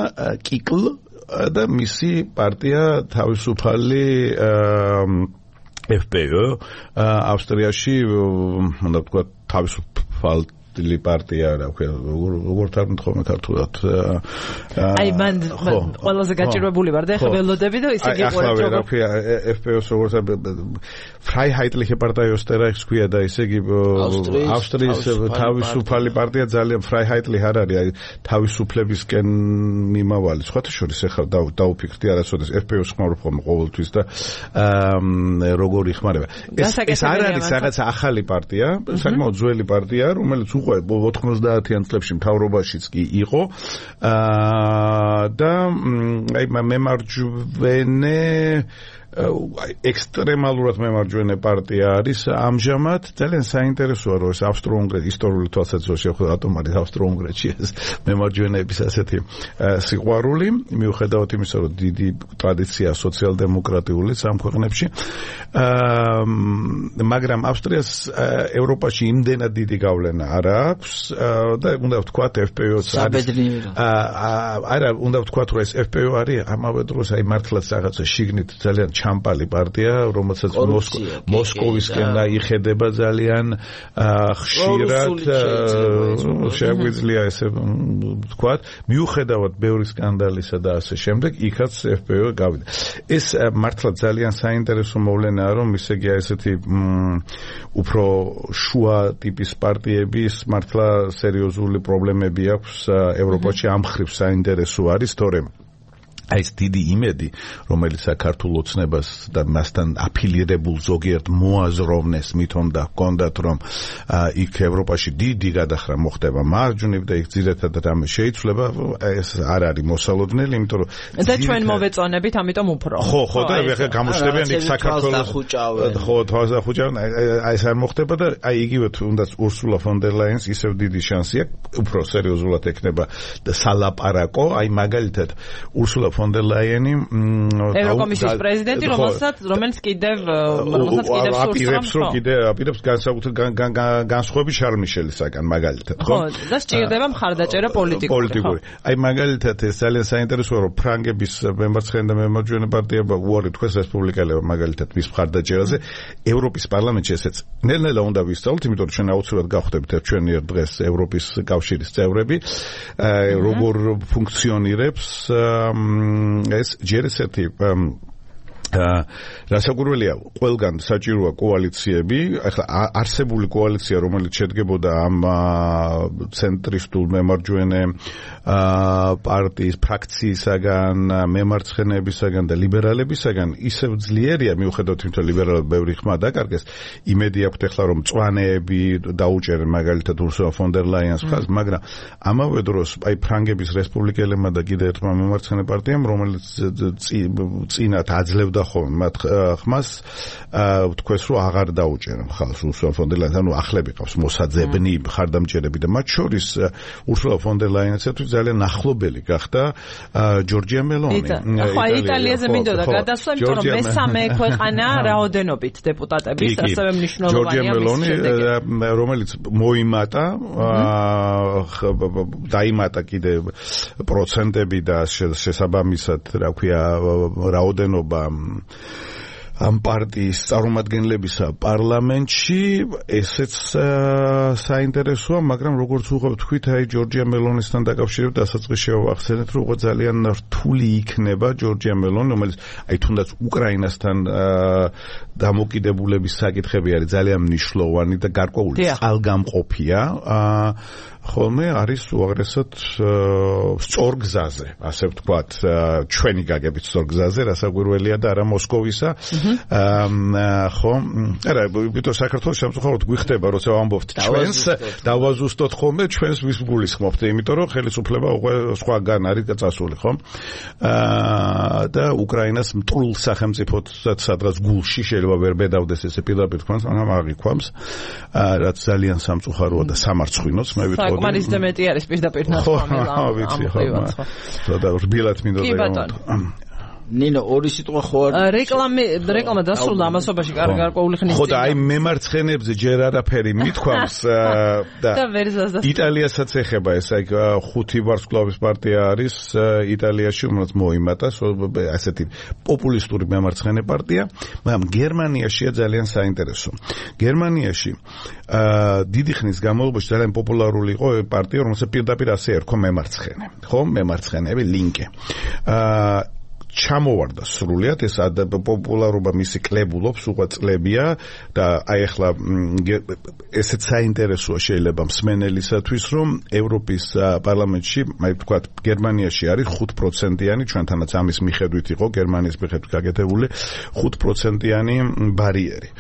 კიკლ და მისი პარტია თავისუფალი ეფ პე ო ავსტრიაში, უნდა ვთქვა, თავისუფალი პარტია, რა ქვია, როგორ თარგმნით ქართულად. აი მან ყველაზე გაჭირვებული ვარ და ეხლა ველოდები და ისე გიყვარეთ როგორ. რა ქვია, ეფ პე ოს როგორც Freiheitliche Partei Österreichs ქვია და ისე იგი ავსტრიის თავისუფალი პარტია ძალიან Freiheitlich არ არის, აი თავისუფლებისკენ მიმავალი. სხვათა შორის ეხლა დაუფიქრდი არასოდეს ეფ პე ოს ხმარობ ხოლმე ყოველთვის და როგორ იხმარება. ეს არ არის რაღაც ახალი პარტია, საკმაოდ ძველი პარტია, რომელიც ოთხმოცდაათიან წლებში მთავრობაშიც კი იყო და აი მემარჯვენე ექსტრემალურად მემარჯვენე პარტია არის ამჟამად. ძალიან საინტერესოა, რომ ეს ავსტრო-უნგრეთის ისტორიული თვალსაზრისით შეხვდა ატომარი ავსტრო-უნგრეთში ეს მემარჯვენეების ასეთი სიყვარული, მიუხედავად იმისა, რომ დიდი ტრადიცია სოციალ-დემოკრატიული ამ ქვეყნებში, მაგრამ ავსტრიას ევროპაში იმდენად დიდი გავლენა არ აქვს და უნდა ვთქვათ ეფ პე ოს არის არა, უნდა ვთქვათ, რომ ეს ეფ პე ო არის ამავე დროს აი მართლაც რაღაცა შიგნით ძალიან ჩამპალი პარტია, რომელსაც მოსკოვისკენ იხედება ძალიან ხშირად, შეგვიძლია ესე ვთქვათ, მიუხედავად ბევრი სკანდალისა და ასე შემდეგ, იქაც ეფ პე ო გავიდა. ეს მართლა ძალიან საინტერესო მოვლენაა, რომ ისე იგი ესეთი უფრო შუა ტიპის პარტიების მართლა სერიოზული პრობლემები აქვს ევროპაში, ამ მხრივ საინტერესო არის, თორემ აი ეს დიდი იმედი, რომელიც საქართველოს ოცნებას და მასთან აფილირებულ ზოგიერთ მოაზროვნეს მithom და ჰქონდათ, რომ იქ ევროპაში დიდი გადახრა მოხდება მარჯვნივ და იქ ძირითადად რამე შეიცვლება, ეს არ არის მოსალოდნელი, იმიტომ რომ და ჩვენ მოვეწონებით, ამიტომ უფრო. ხო, ხო, და ეხლა გამოჩნდებიან იქ საქართველოს ხო, თვალსა ხუჭავენ, აი ეს არ მოხდება და აი იგივე თუნდაც ურსულა ფონ დერ ლაიენს ისევ დიდი შანსი აქვს, უფრო სერიოზულად ექნება და სალაპარაკო, აი მაგალითად ურსულა ფონ დერ ლაიენი ევროკომისიის პრეზიდენტი, რომელსაც რომელიც კიდევ რომელსაც კიდევ აპირებს რომ კიდე აპირებს განსაკუთრებით განსხვავებით შარლ მიშელისაგან მაგალითად, ხო? ხო, და სჭირდება მხარდაჭერა პოლიტიკური. აი მაგალითად ეს ძალიან საინტერესოა, რომ ფრანგების მემარცხენე და მემარჯვენე პარტია უარი თქვეს რესპუბლიკელებმა მაგალითად მის მხარდაჭერაზე ევროპის პარლამენტში ესეც ნელ-ნელა უნდა ვისწავლოთ, იმიტომ რომ ჩვენ აუცილებლად გავხდებით ჩვენი დღეს ევროპის კავშირის წევრები, როგორ ფუნქციონირებს ეს ჯერ ესეთი რასაკვირველია, ყველგან საჭიროა კოალიციები, ახლა არსებული კოალიცია, რომელიც შედგებოდა ამ ცენტრისტულ მემარჯვენე პარტიის ფრაქციისაგან, მემარცხენეებისაგან და ლიბერალებისაგან, ისევ ძლიერია, მიუხედავად იმისა, რომ ლიბერალებს ბევრი ხმა დაკარგეს, იმედი აქვთ ახლა, რომ მწვანეები დაუჭერენ მაგალითად ურსულა ფონ დერ ლაიენს მხარს, მაგრამ ამავე დროს აი ფრანგების რესპუბლიკელებმა და კიდევ ერთმა მემარცხენე პარტიამ, რომელიც წინათ აძლევდა ხოლმე მათ ხმას თქვეს რომ აღარ დაუჭერენ ხალხს ურსულა ფონ დერ ლაიენს, ანუ ახლები ყავს მოსაძებნი მხარდამჭერები და მათ შორის ურსულა ფონ დერ ლაიენსათვის ძალიან ახლობელი გახდა ჯორჯია მელონი. ხო, იტალიაზე მინდოდა გადასვლა, იმიტომ რომ მესამე ქვეყანა რაოდენობით დეპუტატების, ასევე მნიშვნელოვანია ჯორჯია მელონი, რომელიც მოიმატა, დაიმატა კიდე პროცენტები და შესაბამისად, რა ქვია, რაოდენობა ამ პარტიის წარმომადგენლებისა პარლამენტში, ესეც საინტერესოა, მაგრამ როგორც უყურებთ თქვით, აი ჯორჯია მელონისთან დაკავშირებით დასაწყისში შევახსენეთ, რომ უკვე ძალიან რთული იქნება ჯორჯია მელონი, რომელიც აი თუნდაც უკრაინასთან დამოკიდებულების საკითხები არის ძალიან მნიშვნელოვანი და გარკვეული წყალგამყოფია. ხოლმე არის უაღრესად სწორ გზაზე, ასე ვთქვათ, ჩვენი გაგებით სწორ გზაზე, რასაკვირველია და არა მოსკოვისა. ხო, არა, ვიტო საქართველოს სამწუხაროდ გვიხდება, როცა ვამბობთ ჩვენს, დავაზუსტოთ ხოლმე ჩვენს ვის გულისხმობთ, იმიტომ რომ ხელისუფლება უკვე სხვაგან არის წასული, ხო? და უკრაინას მტრულ სახელმწიფოსაც სადღაც გულში შეიძლება ვერ ბედავდეს ესე პირდაპირ თქვენს, მაგრამ აღიქვამს, რაც ძალიან სამწუხაროა და სამარცხვინოც, მე ვიტყოდი. საკმარის და მეტი არის პირდაპირ ნათქვამი. ხო, ვიცი, ხო. და რბილად მინდოდა რომ ნინო ორი სიტყვა ხო არის რეკლამი რეკლამა დასრულდა ამასობაში გარკვეული ხნის წინ. ხო და აი მემარცხენეებზე ჯერ არაფერი მithქვამს და იტალიასაც ეხება ეს აი ხუთი ვარსკვლავის პარტია არის იტალიაში, რომელიც მოიმატა, ასეთი პოპულისტური მემარცხენე პარტია, მაგრამ გერმანიაშია ძალიან საინტერესო. გერმანიაში დიდი ხნის განმავლობაში ძალიან პოპულარული იყო პარტია, რომელსაც პირდაპირ ასე ერქვა მემარცხენე, ხო, მემარცხენეები ლინკე. ჩამოვარდა სრულიად ეს პოპულარობა მისი კლებულობს უკვე წლებია და აი ახლა ესეც საინტერესოა შეიძლება მსმენელისათვის, რომ ევროპის პარლამენტში, აი ვთქვათ, გერმანიაში არის ხუთ პროცენტიანი, ჩვენთანაც ამის მიხედვით იყო გერმანიის მიხედვით გაკეთებული ხუთ პროცენტიანი ბარიერი.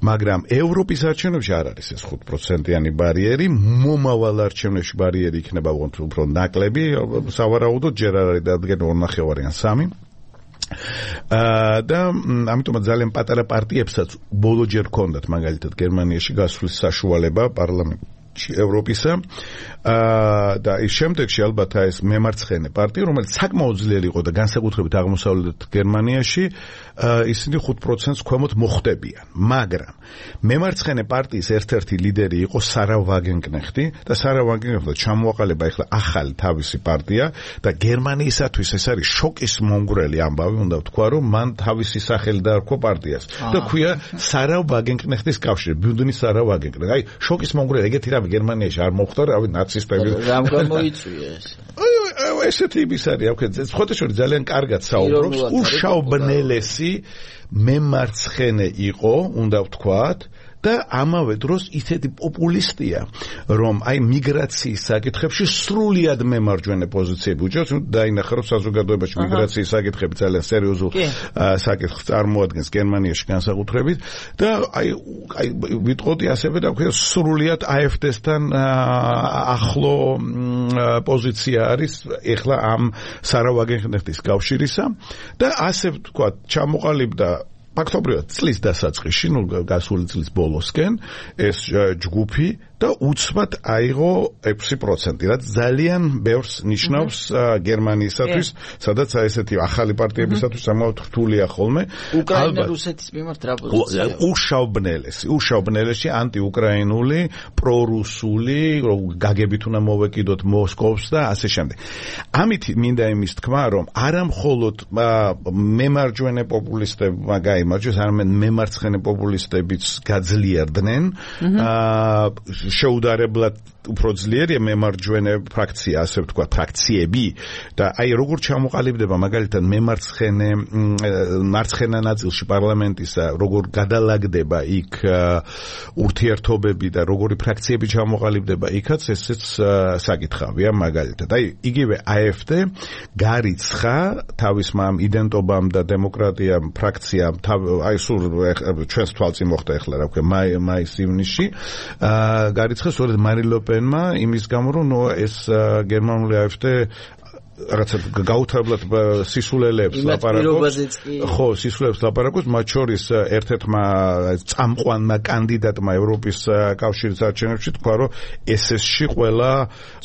მაგრამ ევროპის არჩევნებში არ არის ეს ხუთ პროცენტიანი ბარიერი, მომავალ არჩევნებში ბარიერი იქნება უფრო ნაკლები, სავარაუდოდ ჯერ არ არის დადგენილი ორნახევარი ან სამი. და ამიტომაც ძალიან პატარა პარტიებსაც ბოლოჯერ ჰქონდათ მაგალითად გერმანიაში გასვლის საშუალება პარლამენტში ევროპისა და ის შემდეგში ალბათ ეს მემარცხენე პარტია, რომელიც საკმაოდ ძლიერი იყო და განსაკუთრებით აღმოსავლეთ გერმანიაში ისინი ხუთ პროცენტს ქვემოთ მოხვდებიან, მაგრამ მემარცხენე პარტიის ერთ-ერთი ლიდერი იყო სარა ვაგენკნეხტი და სარა ვაგენკნეხტი ჩამოაყალიბა ახლა ახალი თავისი პარტია და გერმანიისათვის ეს არის შოკის მომგვრელი ამბავი, უნდა ვთქვა, რომ მან თავისი სახელი დაარქვა პარტიას და ქვია სარა ვაგენკნეხტის კავშირი, ბიუდნი სარა ვაგენკნეხტი. აი შოკის მომგვრელი ეგეთი რამე გერმანიაში არ მოხდა, რავი ნაცისტები რამ გამოიწვია ეს. აი ესეთი ის არის, აქ ხოთაშორი ძალიან კარგად საუბრობს, უშაუბნელესი მემარცხენე იყო, უნდა ვთქვათ, და ამავე დროს ისეთი პოპულისტია, რომ აი მიგრაციის საკითხებში სრულიად მემარჯვენე პოზიციები უჭერს, დაინახა რომ საზოგადოებაში მიგრაციის საკითხები ძალიან სერიოზულ საკითხს წარმოადგენს გერმანიაში განსაკუთრებით და აი აი ვიტყოდი ასევე და ქვია სრულიად აეფ-დესთან ახლო პოზიცია არის ეხლა ამ სარა ვაგენკნეხტის კავშირისა და ასე ვთქვათ ჩამოყალიბდა ფაქტობრივად წლის დასაწყისში, ნუ გასული წლის ბოლოსკენ ეს ჯგუფი და უცბად აიღო ექვსი პროცენტი, რაც ძალიან ბევრს ნიშნავს გერმანიისათვის, სადაც ესეთი ახალი პარტიებისათვის ამავდროულად რთულია ხოლმე. უკრაინა რუსეთის მიმართ რა პოზიცია? უშაუბნელესი, უშაუბნელესი ანტიუკრაინული, პრორუსული, გაგებით უნდა მოვეკიდოთ მოსკოვს და ასე შემდეგ. ამით მინდა იმის თქმა, რომ არა მხოლოდ მემარჯვენე პოპულისტებმა გაიმარჯვეს, არამედ მემარცხენე პოპულისტებიც გაძლიერდნენ. შეუდარებლად უფრო ძლიერია მემარჯვენე ფრაქცია, ასე ვთქვათ, ფრაქციები და აი როგორ ჩამოყალიბდება მაგალითად მემარცხენე მარცხენა ნაწილში პარლამენტისა, როგორ გადალაგდება იქ ურთიერთობები და როგორი ფრაქციები ჩამოყალიბდება იქაც, ესეც საკითხავია მაგალითად. აი იგივე AfD გარიცხა თავის მამ იდენტობამ და დემოკრატიამ ფრაქციამ, აი სულ ჩვენს თვალწინ მოხდა ახლა რა ვქო მაის-ივნისში, გარიცხა სწორედ მარინ ლე პენმა იმის გამო რომ ეს გერმანული AfD რაღაცა გაუთავებლად სისულელებს ლაპარაკობს. ხო, სისულელებს ლაპარაკობს, მათ შორის ერთ-ერთმა წამყვანმა კანდიდატმა ევროპის კავშირის არჩევნებში თქვა, რომ ეს ეს-ში ყველა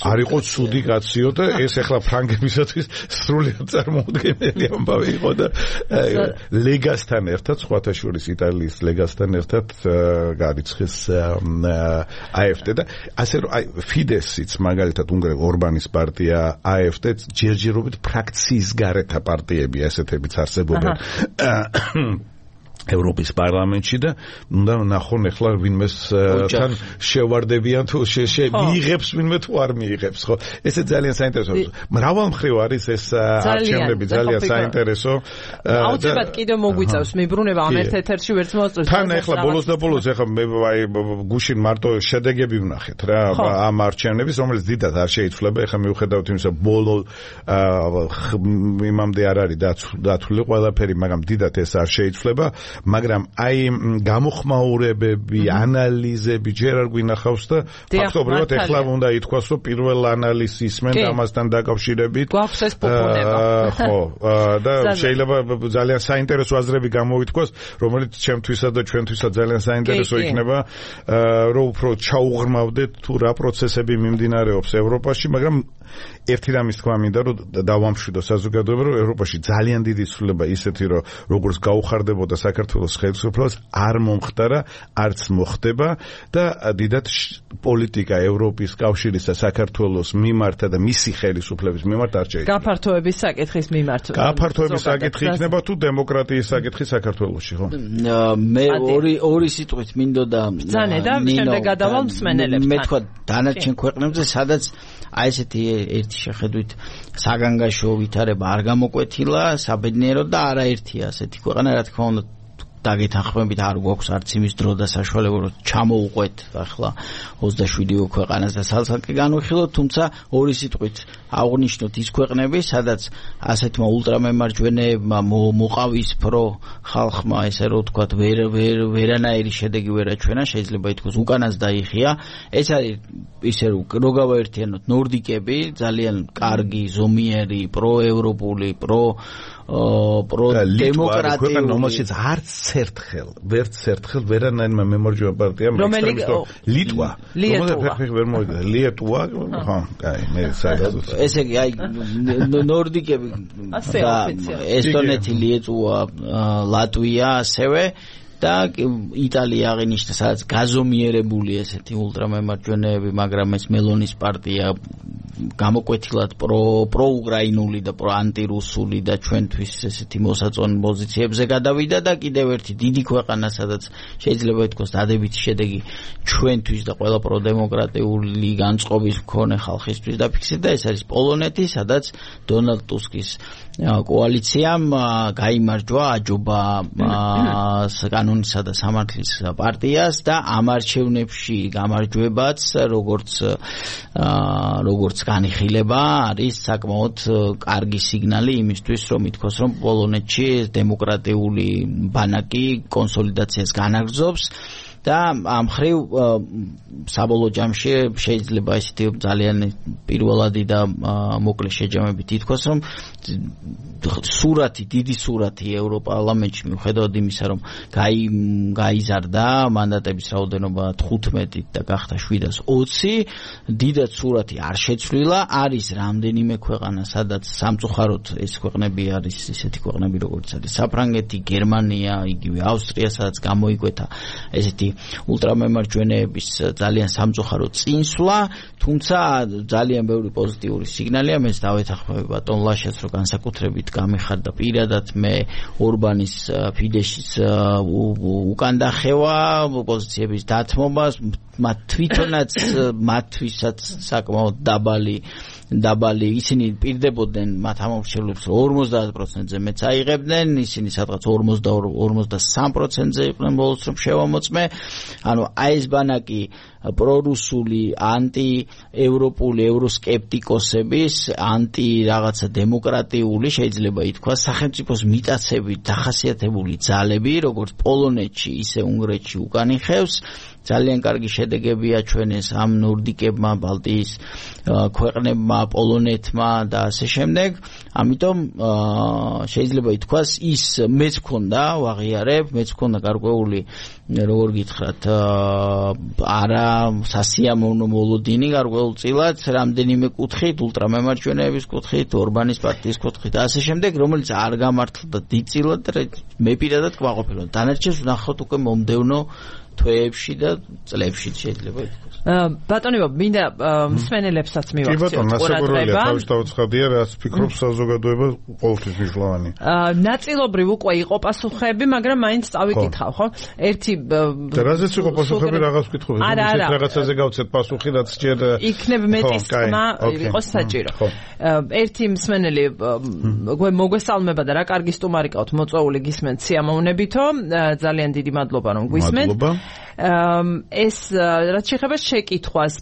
არ იყო ცუდი კაციო და ეს ახლა ფრანგებისათვის სრულიად წარმოუდგენელი ამბავი იყო და ლეგასთან ერთად, სხვათა შორის იტალიის ლეგასთან ერთად გარიცხეს AfD და ასე რომ აი ფიდესიც მაგალითად უნგრეთ ორბანის პარტია AfD ჯერჯერობით ფრაქციის გარეთა პარტიები ასეთებიც არსებობენ ევროპის პარლამენტში და უნდა ნახონ ახლა ვინმეს თან შევარდებიან თუ მიიღებს ვინმე თუ არ მიიღებს, ხო? ესე ძალიან საინტერესოა. მრავალმხრივ არის ეს არჩევნები, ძალიან საინტერესო. აუცილებლად კიდევ მოგვიწევს მიბრუნება ამ ერთ ეთერში ვერც მოსწევს. თან ახლა ბოლოს და ბოლოს ახლა აი გუშინ მარტო შედეგები ვნახეთ რა ამ არჩევნების, რომელიც დიდად არ შეიცვლება. ახლა მიუხედავად იმისა, ბოლო იმამდე არ არის დათვლილი ყველაფერი, მაგრამ დიდად ეს არ შეიცვლება. მაგრამ აი გამოხმაურებები, ანალიზები ჯერ არ გვინახავს და ფაქტობრივად ახლა უნდა ითქვას, რომ პირველ ანალიზს ისმენ ამასთან დაკავშირებით. გვაქვს ეს პოპულება. ხო, და შეიძლება ძალიან საინტერესო აზრები გამოითქვას, რომელიც ჩემთვისა და ჩვენთვისაც ძალიან საინტერესო იქნება, რომ უფრო ჩაუღრმავდეთ თუ რა პროცესები მიმდინარეობს ევროპაში, მაგრამ ერთი რამის თქვა მინდა, რომ დავამშვიდო საზოგადოება, რომ ევროპაში ძალიან დიდი ცვლილება ისეთი, რომ როგორც გაუხარდებოდა საქართველოს ხელისუფლებას, არ მომხდარა, არც მოხდება და დიდად პოლიტიკა ევროპის კავშირის და საქართველოს მიმართ და მისი ხელისუფლების მიმართ არ შეიძლება. გაფართოების საკითხის მიმართ. გაფართოების საკითხი იქნება თუ დემოკრატიის საკითხი საქართველოში, ხო? მე ორი ორი სიტყვით მინდოდა ბრძანე და შემდეგ გადავალ მსმენელებთან. მე თქვა დანარჩენ ქვეყნებზე, სადაც აი ესეთი ერთი შეხედვით საგანგაშო ვითარება არ გამოკვეთილა, საბედნიეროდ და არაერთია ასეთი ქვეყანა, რა თქმა უნდა დაგეთანხმებით არ გვაქვს არც იმის დრო და საშუალება რომ ჩამოუყვეთ ახლა ოცდაშვიდი ქვეყანას და სალსაკი განვიხილოთ, თუმცა ორი სიტყვით აღნიშნოთ ის ქვეყნები, სადაც ასეთმა ულტრამემარჯვენეებმა მოყავისფრო ხალხმა, ესე რომ ვთქვათ, ვერ ვერ ვერანაირი შედეგი ვერ აჩვენა, შეიძლება ითქვას უკანას დაიხია. ეს არის ისე რომ გავაერთიანოთ ნორდიკები, ძალიან კარგი, ზომიერი, პროევროპული, პრო პრო დემოკრატიული, რომელშიც არც ერთხელ, ვერც ერთხელ ვერანაირმა მემარჯვენე პარტიამ ექსტრემისტო ლიტვა, ლიტვა ვერ მოვიდა, ლიტვა, ხო, კაი, მე საერთოდ ესე იგი, აი ნორდიკები და ესტონეთი, ლიტვა, ლატვია ასევე და იტალია აღინიშნა, სადაც გაზომიერებული ესეთი ულტრამემარჯვენეები, მაგრამ ეს მელონის პარტია გამოკვეთილად პრო პროუკრაინული და პროანტირუსული და ჩვენთვის ესეთი მოსაწონი პოზიციებზე გადავიდა და კიდევ ერთი დიდი ქვეყანა, სადაც შეიძლება ითქვას დადებითი შედეგი ჩვენთვის და ყველა პროდემოკრატიული განწყობის მქონე ხალხისთვის დაფიქსირდა, ეს არის პოლონეთი, სადაც დონალდ ტუსკის კოალიციამ გაიმარჯვა აჯობა კანონისა და სამართლის პარტიას და ამ არჩევნებში გამარჯვებაც როგორც როგორც განიხილება არის საკმაოდ კარგი სიგნალი იმისთვის, რომ ითქვას, რომ პოლონეთში დემოკრატიული ბანაკი კონსოლიდაციას განაგრძობს და ამ ხრივ საბოლოო ჯამში შეიძლება ისეთი ძალიან პირველადი და მოკლე შეჯამებით ითქვას, რომ სურათი, დიდი სურათი ევროპარლამენტში მიუხედავად იმისა, რომ გაიზარდა მანდატების რაოდენობა თხუთმეტით და გახდა შვიდას ოცი, დიდად სურათი არ შეცვლილა, არის რამდენიმე ქვეყანა, სადაც სამწუხაროდ ეს ქვეყნები არის ისეთი ქვეყნები, როგორც არის საფრანგეთი, გერმანია, იგივე ავსტრია, სადაც გამოიკვეთა ესეთი ულტრამემარჯვენეების ძალიან სამწუხარო წინსვლა, თუმცა ძალიან ბევრი პოზიტიური სიგნალია, მეც დავეთანხმები ბატონ ლაშას, რომ განსაკუთრებით გამიხარდა პირადად მე ორბანის ფიდეშის უკან დახევა, პოზიციების დათმობას, მათ თვითონაც მათთვისაც საკმაოდ დაბალი დაბალი ისინი პირდებოდნენ მათ ამომრჩევლებს რომ ორმოცდაათ პროცენტზე მეც აიღებდნენ, ისინი სადღაც ორმოცდაორი ორმოცდასამ პროცენტზე იყვნენ ბოლოს რომ შევამოწმე. ანუ აი ეს ბანაკი პრორუსული, ანტიევროპული, ევროსკეპტიკოსების, ანტი რაღაცა დემოკრატიული შეიძლება ითქვას სახელმწიფოს მიტაცებით დახასიათებული ძალები, როგორც პოლონეთში, ისე უნგრეთში უკან იხევს. ძალიან კარგი შედეგები აჩვენეს ამ ნორდიკებმა, ბალტიის ქვეყნებმა, პოლონეთმა და ასე შემდეგ. ამიტომ შეიძლება ითქვას ის მეც მქონდა ვაღიარებ, მეც მქონდა გარკვეული როგორ გითხრათ არა სასიამოვნო მოლოდინი გარკვეულწილად რამდენიმე კუთხით, ულტრამემარჯვენეების კუთხით, ორბანის პარტიის კუთხით და ასე შემდეგ, რომელიც არ გამართლდა დიდწილად, მე პირადად კმაყოფილო. დანარჩენს ვნახოთ უკვე მომდევნო თვეებში და წლებში შეიძლება ითქვას. ბატონებო, მინდა მსმენელებსაც მივაქციოთ ყურადღება. კი ბატონო, ნასაკურველია, თავის დავცხადია, რაც ფიქრობს საზოგადოება ყოველთვის მნიშვნელოვანი. ნაწილობრივ უკვე იყო პასუხები, მაგრამ მაინც წავიკითხავ, ხო? ერთი და რაზეც იყო პასუხები, რაღაც ვკითხავ. არა, არა. რაღაცაზე გავცეთ პასუხი, რაც ჯერ იქნებ მეტის თქმა იყოს საჭირო. ერთი მსმენელი მოგესალმება და რა კარგი სტუმარი ყავთ, მოწვეული გისმენთ სიამოვნებითო. ძალიან დიდი მადლობა რომ გვისმენთ. ეს რაც შეეხება შეკითხვას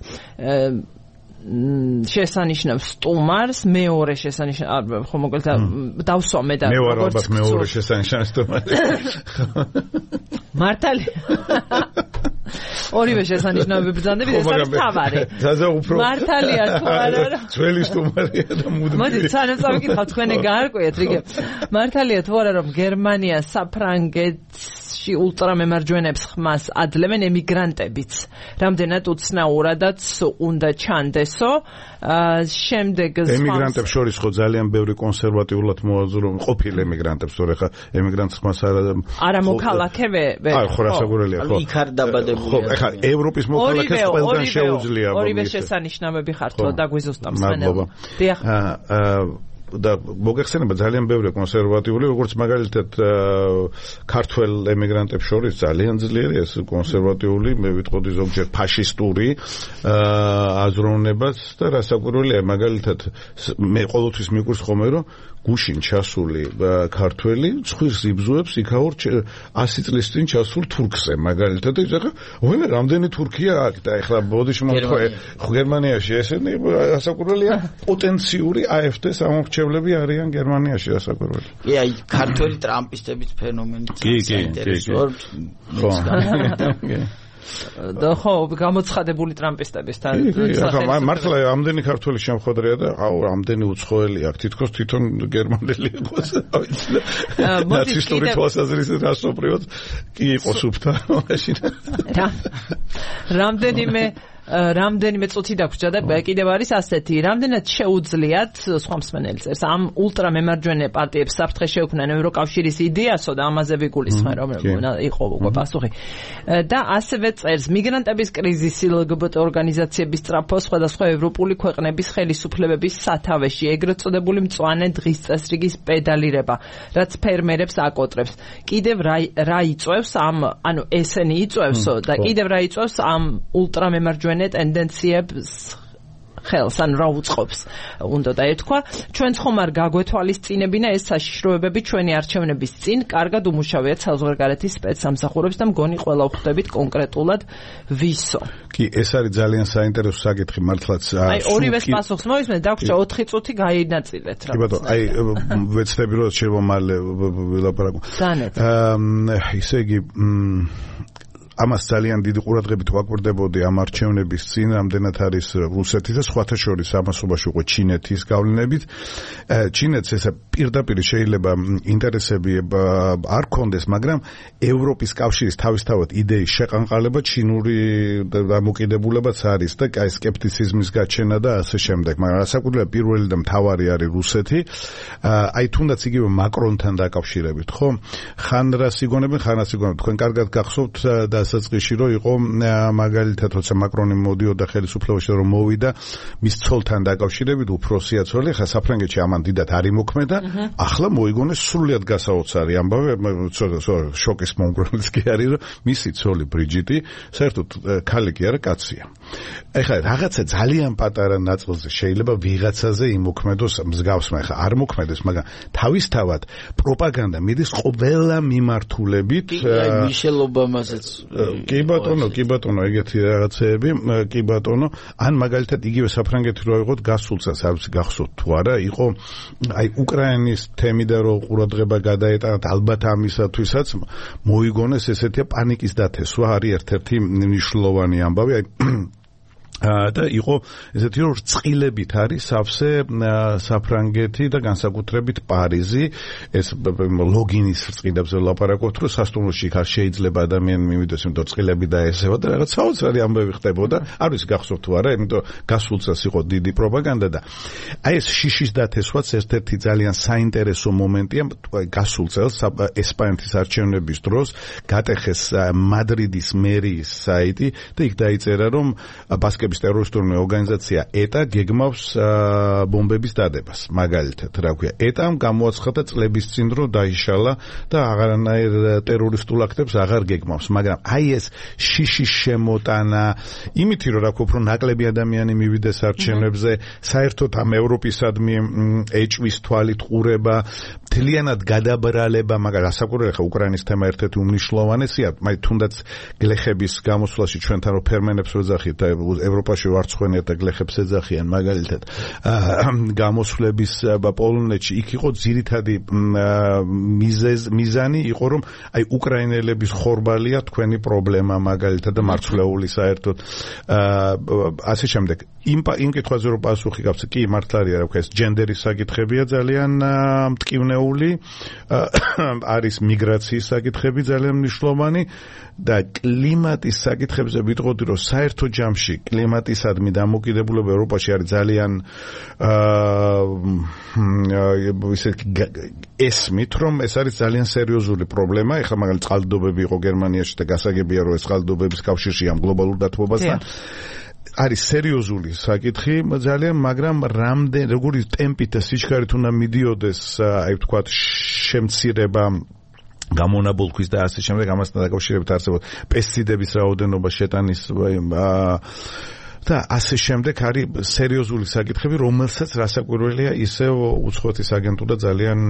შესანიშნავს სტუმარს, მეორე შესანიშნავს, ხო მოგეთ დავსვამე და მე ვარ ალბათ მეორე შესანიშნავს სტუმარი. მართალია. ორივე შესანიშნავები ბრძანდები, ეს არის თავარი. ზაზა უფრო მართალია თუ არა? ძველი სტუმარია და მუდმივი. მოდი, სანამ წავიკითხავ, თქვენი გაარკვიეთ, რიგე. მართალია თუ არა, რომ გერმანია საფრანგეთში ულტრამემარჯვენეებს ხმას ადლებენ ემიგრანტებიც. რამდენად უცნაურადაც უნდა ჩანდესო. შემდეგ ემიგრანტებს შორის ხო ძალიან ბევრი კონსერვატიულად მოაზრო ყოფილი ემიგრანტებს, თორე ხა ემიგრანტს ხმას არა არა მოქალაქე აი ხო რასაგურელია ხო იქ არ დაბადებული ხო ხა ევროპის მოქალაქეს ყველგან შეუძლია ორივე შესანიშნავები ხართო და გვიზუსტავს მენელო დიახ და მოგეხსენება ძალიან ბევრი კონსერვატიული, როგორც მაგალითად ქართველ ემიგრანტებს შორის ძალიან ძლიერია ეს კონსერვატიული, მე ვიტყოდი ზოგჯერ ფაშისტური აზროვნებაც და რასაკვირველია, მაგალითად მე ყოველთვის მიგურს ხოლმე რომ გუშინ ჩასული ქართველი ცხვირს იბზუებს იქაურ ასი წლის წინ ჩასულ თურქზე მაგალითად და ეხლა ვენა რამდენი თურქია აქ და ეხლა ბოდიში მომთხოვე გერმანიაში ესენი რასაკვირველია პოტენციური აეფ-ს ამორჩევლები არიან გერმანიაში რასაკვირველი. კი აი ქართველი ტრამპისტების ფენომენი საინტერესოა. და ხო გამოცხადებული ტრამპისტებისთან მართლა ამდენი ქართველი შემხოდრია და აუ ამდენი უცხოელი აქ თითქოს თვითონ გერმანელი იყოს ნაცისტური თვალსაზრისით რასობრივად კი იყოს უფთა მაშინ რა რამდენიმე რამდენიმე წუთი დაგვრჩა და კიდევ არის ასეთი, რამდენად შეუძლიათ სხვა მსმენელი წერს ამ ულტრამემარჯვენე პარტიებს საფრთხე შეუქმნან ევროკავშირის იდეასო და ამაზე ვიგულისხმენ რომ იყო უკვე პასუხი და ასევე წერს მიგრანტების კრიზისი ლგბტ ორგანიზაციების სწრაფო სხვადასხვა ევროპული ქვეყნების ხელისუფლებების სათავეში ეგრეთ წოდებული მწვანე დღის წესრიგის პედალირება რაც ფერმერებს აკოტრებს კიდევ რა იწევს ამ ანუ ესენი იწევსო და კიდევ რა იწევს ამ ულტრამემარჯვენე ტენდენციებს ხელს ან რა უწყობს უნდა დაეთქვა ჩვენ ხომ არ გაგვეთვალისწინებინა ეს საშიშროებები ჩვენი არჩევნების წინ კარგად უმუშავიათ საზღვარგარეთის სპეცსამსახურებს და მგონი ყველა ვხვდებით კონკრეტულად ვისო კი ეს არის ძალიან საინტერესო საკითხი მართლაც აი ორივეს პასუხს მოვისმენთ დაგვრჩა ოთხი წუთი გაინაწილეთ რა კი ბატონო აი ვეცდები რომ შემომალე ვილაპარაკო დანეთ ისე იგი ამას ძალიან დიდი ყურადღებით ვაკვირდებოდი ამ არჩევნების წინ, რამდენად არის რუსეთის და სხვათა შორის ამასობაში უკვე ჩინეთის გავლენებით. ჩინეთს ესა პირდაპირ შეიძლება ინტერესები არ ქონდეს, მაგრამ ევროპის კავშირის თავისთავად იდეის შეყანყალება ჩინური დამოკიდებულებაც არის და აი სკეპტიციზმის გაჩენა და ასე შემდეგ. მაგრამ რასაკვირველია პირველი და მთავარი არის რუსეთი. აი თუნდაც იგივე მაკრონთან დაკავშირებით, ხო? ხან რას იგონებენ, ხან რას იგონებენ. თქვენ კარგად გახსოვთ დასაწყისში რომ იყო მაგალითად როცა მაკრონი მოდიოდა ხელისუფლებაში რომ მოვიდა მის ცოლთან დაკავშირებით უფროსია ცოლი, ხა საფრანგეთში ამან დიდად არ იმოქმედა, ახლა მოიგონეს სრულიად გასაოცარი ამბავი, შოკის მომგვრელიც კი არის რომ მისი ცოლი ბრიჯიტი საერთოდ ქალი კი არა კაცია. ეხლა რაღაცა ძალიან პატარა ნაწილზე შეიძლება ვიღაცაზე იმოქმედოს მსგავსმა, ეხლა არ მოქმედეს, მაგრამ თავისთავად პროპაგანდა მიდის ყველა მიმართულებით. მიშელ ობამასაც კი ბატონო, კი ბატონო, ეგეთი რაღაცეები, კი ბატონო, ან მაგალითად იგივე საფრანგეთი რო იყოთ გასულ წელს, არ ვიცი გახსოვთ თუ არა, იყო აი უკრაინის თემი და რო ყურადღება გადაეტანათ ალბათ ამისათვისაც მოიგონეს ესეთი პანიკის დათესვა, არის ერთ-ერთი მნიშვნელოვანი ამბავი, აი და იყო ესეთი რომ რწყილებით არის სავსე საფრანგეთი და განსაკუთრებით პარიზი, ეს ლოგინის რწყილებზე ვლაპარაკობთ, რომ სასტუმროში ხარ შეიძლება ადამიანი მივიდეს, იმიტომ რწყილები დაესევა და რაღაც საოცარი ამბები ხდებოდა, არ ვიცი გახსოვთ თუ არა, იმიტომ გასულ წელს იყო დიდი პროპაგანდა და აი ეს შიშის დათესვაც ერთ-ერთი ძალიან საინტერესო მომენტია, გასულ წელს ესპანეთის არჩევნების დროს გატეხეს მადრიდის მერიის საიტი და იქ დაიწერა რომ ბასკ ტერორისტული ორგანიზაცია ეტა გეგმავს ბომბების დადებას. მაგალითად, რა ქვია, ეტამ გამოაცხადა წლების წინ რომ დაიშალა და აღარანაირ ტერორისტულ აქტებს აღარ გეგმავს, მაგრამ აი ეს შიშის შემოტანა, იმითი რომ რა ქვია, უფრო ნაკლები ადამიანი მივიდეს არჩევნებზე, საერთოდ ამ ევროპისადმი ეჭვის თვალით ყურება, მთლიანად გადაბრალება, მაგრამ რასაკვირველია, ხა უკრაინის თემა ერთ-ერთი უმნიშვნელოვანესია, მაი თუნდაც გლეხების გამოსვლაში ჩვენთან რო ფერმენებს ვეძახით და ევროპაში ვარცხვენიათ და გლეხებს ეძახიან მაგალითად გამოსვლების პოლონეთში იქ იყო ძირითადი მიზანი იყო რომ აი უკრაინელების ხორბალია თქვენი პრობლემა მაგალითად და მარცვლეული საერთოდ ასე შემდეგ იმ იმ კითხვაზე რომ პასუხი გაქვს კი მართლია რა ქვია ეს ჯენდერის საკითხებია ძალიან მტკივნეული არის მიგრაციის საკითხები ძალიან მნიშვნელოვანი და კლიმატის საკითხებზე ვიტყოდი რომ საერთო ჯამში კლიმატისადმი დამოკიდებულება ევროპაში არის ძალიან ისე ესმით რომ ეს არის ძალიან სერიოზული პრობლემა. ეხლა მაგალითად წყალდიდობები იყო გერმანიაში და გასაგებია რომ ეს წყალდიდობების კავშირში ამ გლობალურ დათბობასთან არის სერიოზული საკითხი ძალიან, მაგრამ რამდენ როგორი ტემპით და სიჩქარით უნდა მიდიოდეს აი ვთქვათ შემცირება გამონაბოლქვის და ასე შემდეგ ამასთან დაკავშირებით არსებობს პესტიციდების რაოდენობა შეტანის და ასე შემდეგ არის სერიოზული საკითხები, რომელსაც რასაკვირველია ისევ უცხოეთის აგენტურა ძალიან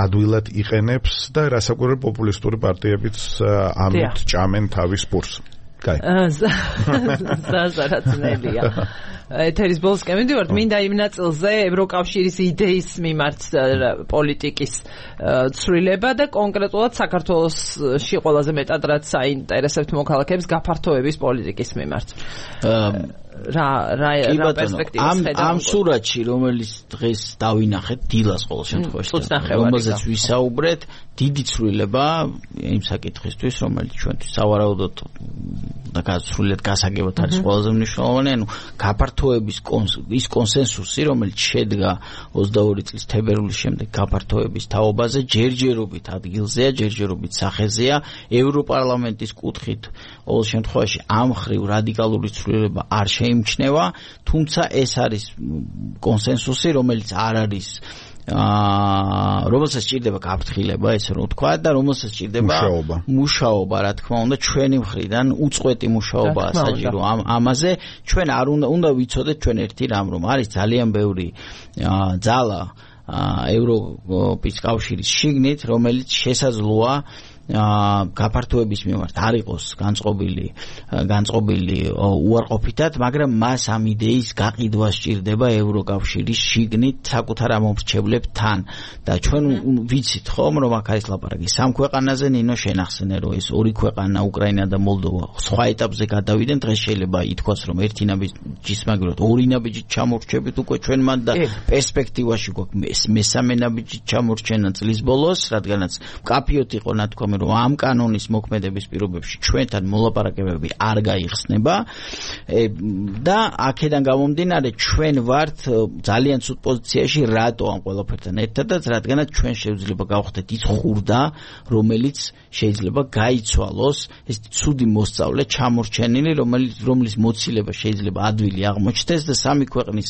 ადვილად იყენებს და რასაკვირველი პოპულისტური პარტიებიც ამით ჭამენ თავის პურს. კაი. ზაზარაცნელია. ეთერის ბოლოსკენ მივიდივართ, მინდა იმ ნაწილზე ევროკავშირის იდეის მიმართ პოლიტიკის ცვლილება და კონკრეტულად საქართველოში ყველაზე მეტად რაც საინტერესებთ მოქალაქეებს გაფართოების პოლიტიკის მიმართ. რა რა რა პერსპექტივას ხედავთ ამ სურათში რომელიც დღეს დავინახეთ დილას ყოველ შემთხვევაში რომელზეც ვისაუბრეთ დიდი ცვლილება იმ საკითხისთვის რომელიც ჩვენთვის სავარაუდოდ და გასრულიად გასაგებად არის ყველაზე მნიშვნელოვანი ანუ გაფართოების ის კონსენსუსი რომელიც შედგა ოცდაორი წლის თებერვლის შემდეგ გაფართოების თაობაზე ჯერჯერობით ადგილზეა ჯერჯერობით სახეზეა ევროპარლამენტის კუთხით ყოველ შემთხვევაში ამ ხრივ რადიკალური ცვლილება არ შეიმჩნევა, თუმცა ეს არის კონსენსუსი, რომელიც არ არის აა რომელსაც ჭირდება გაფრთხილება, ესე რომ ვთქვა და რომელსაც ჭირდება მუშაობა, რა თქმა უნდა, ჩვენი მხრიდან უწყვეტი მუშაობაა საჭირო ამ ამაზე. ჩვენ არ უნდა უნდა ვიცოდეთ ჩვენ ერთი რამ, რომ არის ძალიან ბევრი ძალა ევროპის კავშირის შიგნით, რომელიც შესაძლოა გაფართოების მიმართ არ იყოს განწყობილი განწყობილი უარყოფითად, მაგრამ მას ამ იდეის გაყიდვა სჭირდება ევროკავშირის შიგნით საკუთარ ამომრჩევლებთან და ჩვენ ვიცით ხომ რომ აქ არის ლაპარაკი სამ ქვეყანაზე, ნინო შენახსენე რომ ეს ორი ქვეყანა უკრაინა და მოლდოვა სხვა ეტაპზე გადავიდნენ, დღეს შეიძლება ითქვას რომ ერთი ნაბიჯის მაგალითად ორი ნაბიჯით ჩამორჩებით უკვე ჩვენ მან და პერსპექტივაში გვაქვს მესამე ნაბიჯით ჩამორჩენა წლის ბოლოს, რადგანაც მკაფიოდ იყო ნათქვამი რომ ამ კანონის მოქმედების პირობებში ჩვენთან მოლაპარაკებები არ გაიხსნება და აქედან გამომდინარე ჩვენ ვართ ძალიან ცუდ პოზიციაში რატო ამ ყველაფერთან ერთადაც, რადგანაც ჩვენ შეიძლება გავხდეთ ის ხურდა, რომელიც შეიძლება გაიცვალოს, ეს ცუდი მოსწავლე ჩამორჩენილი, რომელიც რომლის მოცილება შეიძლება ადვილი აღმოჩნდეს და სამი ქვეყნის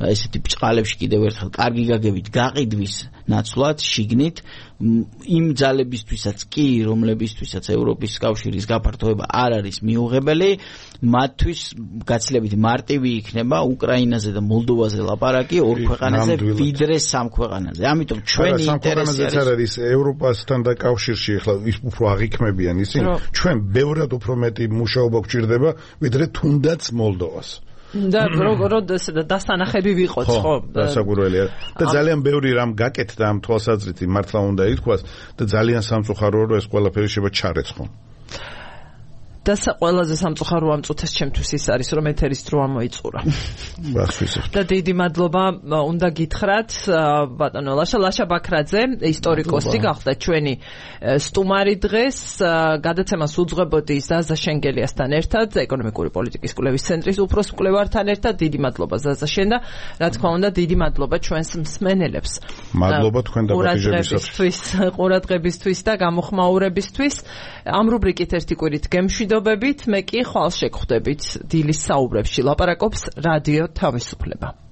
ესეთი ბჭყალებში კიდევ ერთხელ კარგი გაგებით გაყიდვის ნაცვლად შიგნით იმ ძალებისთვისაც კი, რომლებისთვისაც ევროპის კავშირის გაფართოება არ არის მიუღებელი, მათთვის გაცილებით მარტივი იქნება უკრაინაზე და მოლდოვაზე ლაპარაკი ორ ქვეყანაზე ვიდრე სამ ქვეყანაზე. ამიტომ ჩვენი ინტერესი არის ევროპასთან და კავშირში ახლა ის უფრო აღიქმებიან ისინი, ჩვენ ბევრად უფრო მეტი მუშაობა გვჭირდება ვიდრე თუნდაც მოლდოვას. და როდეს დასანახები ვიყოთ ხო? დასაკვირველია. და ძალიან ბევრი რამ გაკეთდა ამ თვალსაზრით, მართლა უნდა ითქვას და ძალიან სამწუხაროა რომ ეს ყველაფერი შეიძლება ჩარეცხო. და ყველაზე სამწუხარო ამ წუთას ჩემთვის ის არის რომ ეთერის დრო ამოიწურა. და დიდი მადლობა უნდა გითხრათ ბატონო ლაშა ლაშა ბაქრაძე, ისტორიკოსი გახდა ჩვენი სტუმარი დღეს, გადაცემას უძღვებოდი ზაზა შენგელიასთან ერთად, ეკონომიკური პოლიტიკის კვლევის ცენტრის უფროს მკვლევართან ერთად. დიდი მადლობა ზაზა შენ და რა თქმა უნდა დიდი მადლობა ჩვენს მსმენელებს. მადლობა თქვენ დაპატიჟებისთვის, ყურადღებისთვის და გამოხმაურებისთვის. ამ რუბრიკით ერთი კვირით გემშვიდობებით, მე კი ხვალ შეგხვდებით დილის საუბრებში. ლაპარაკობს რადიო თავისუფლება.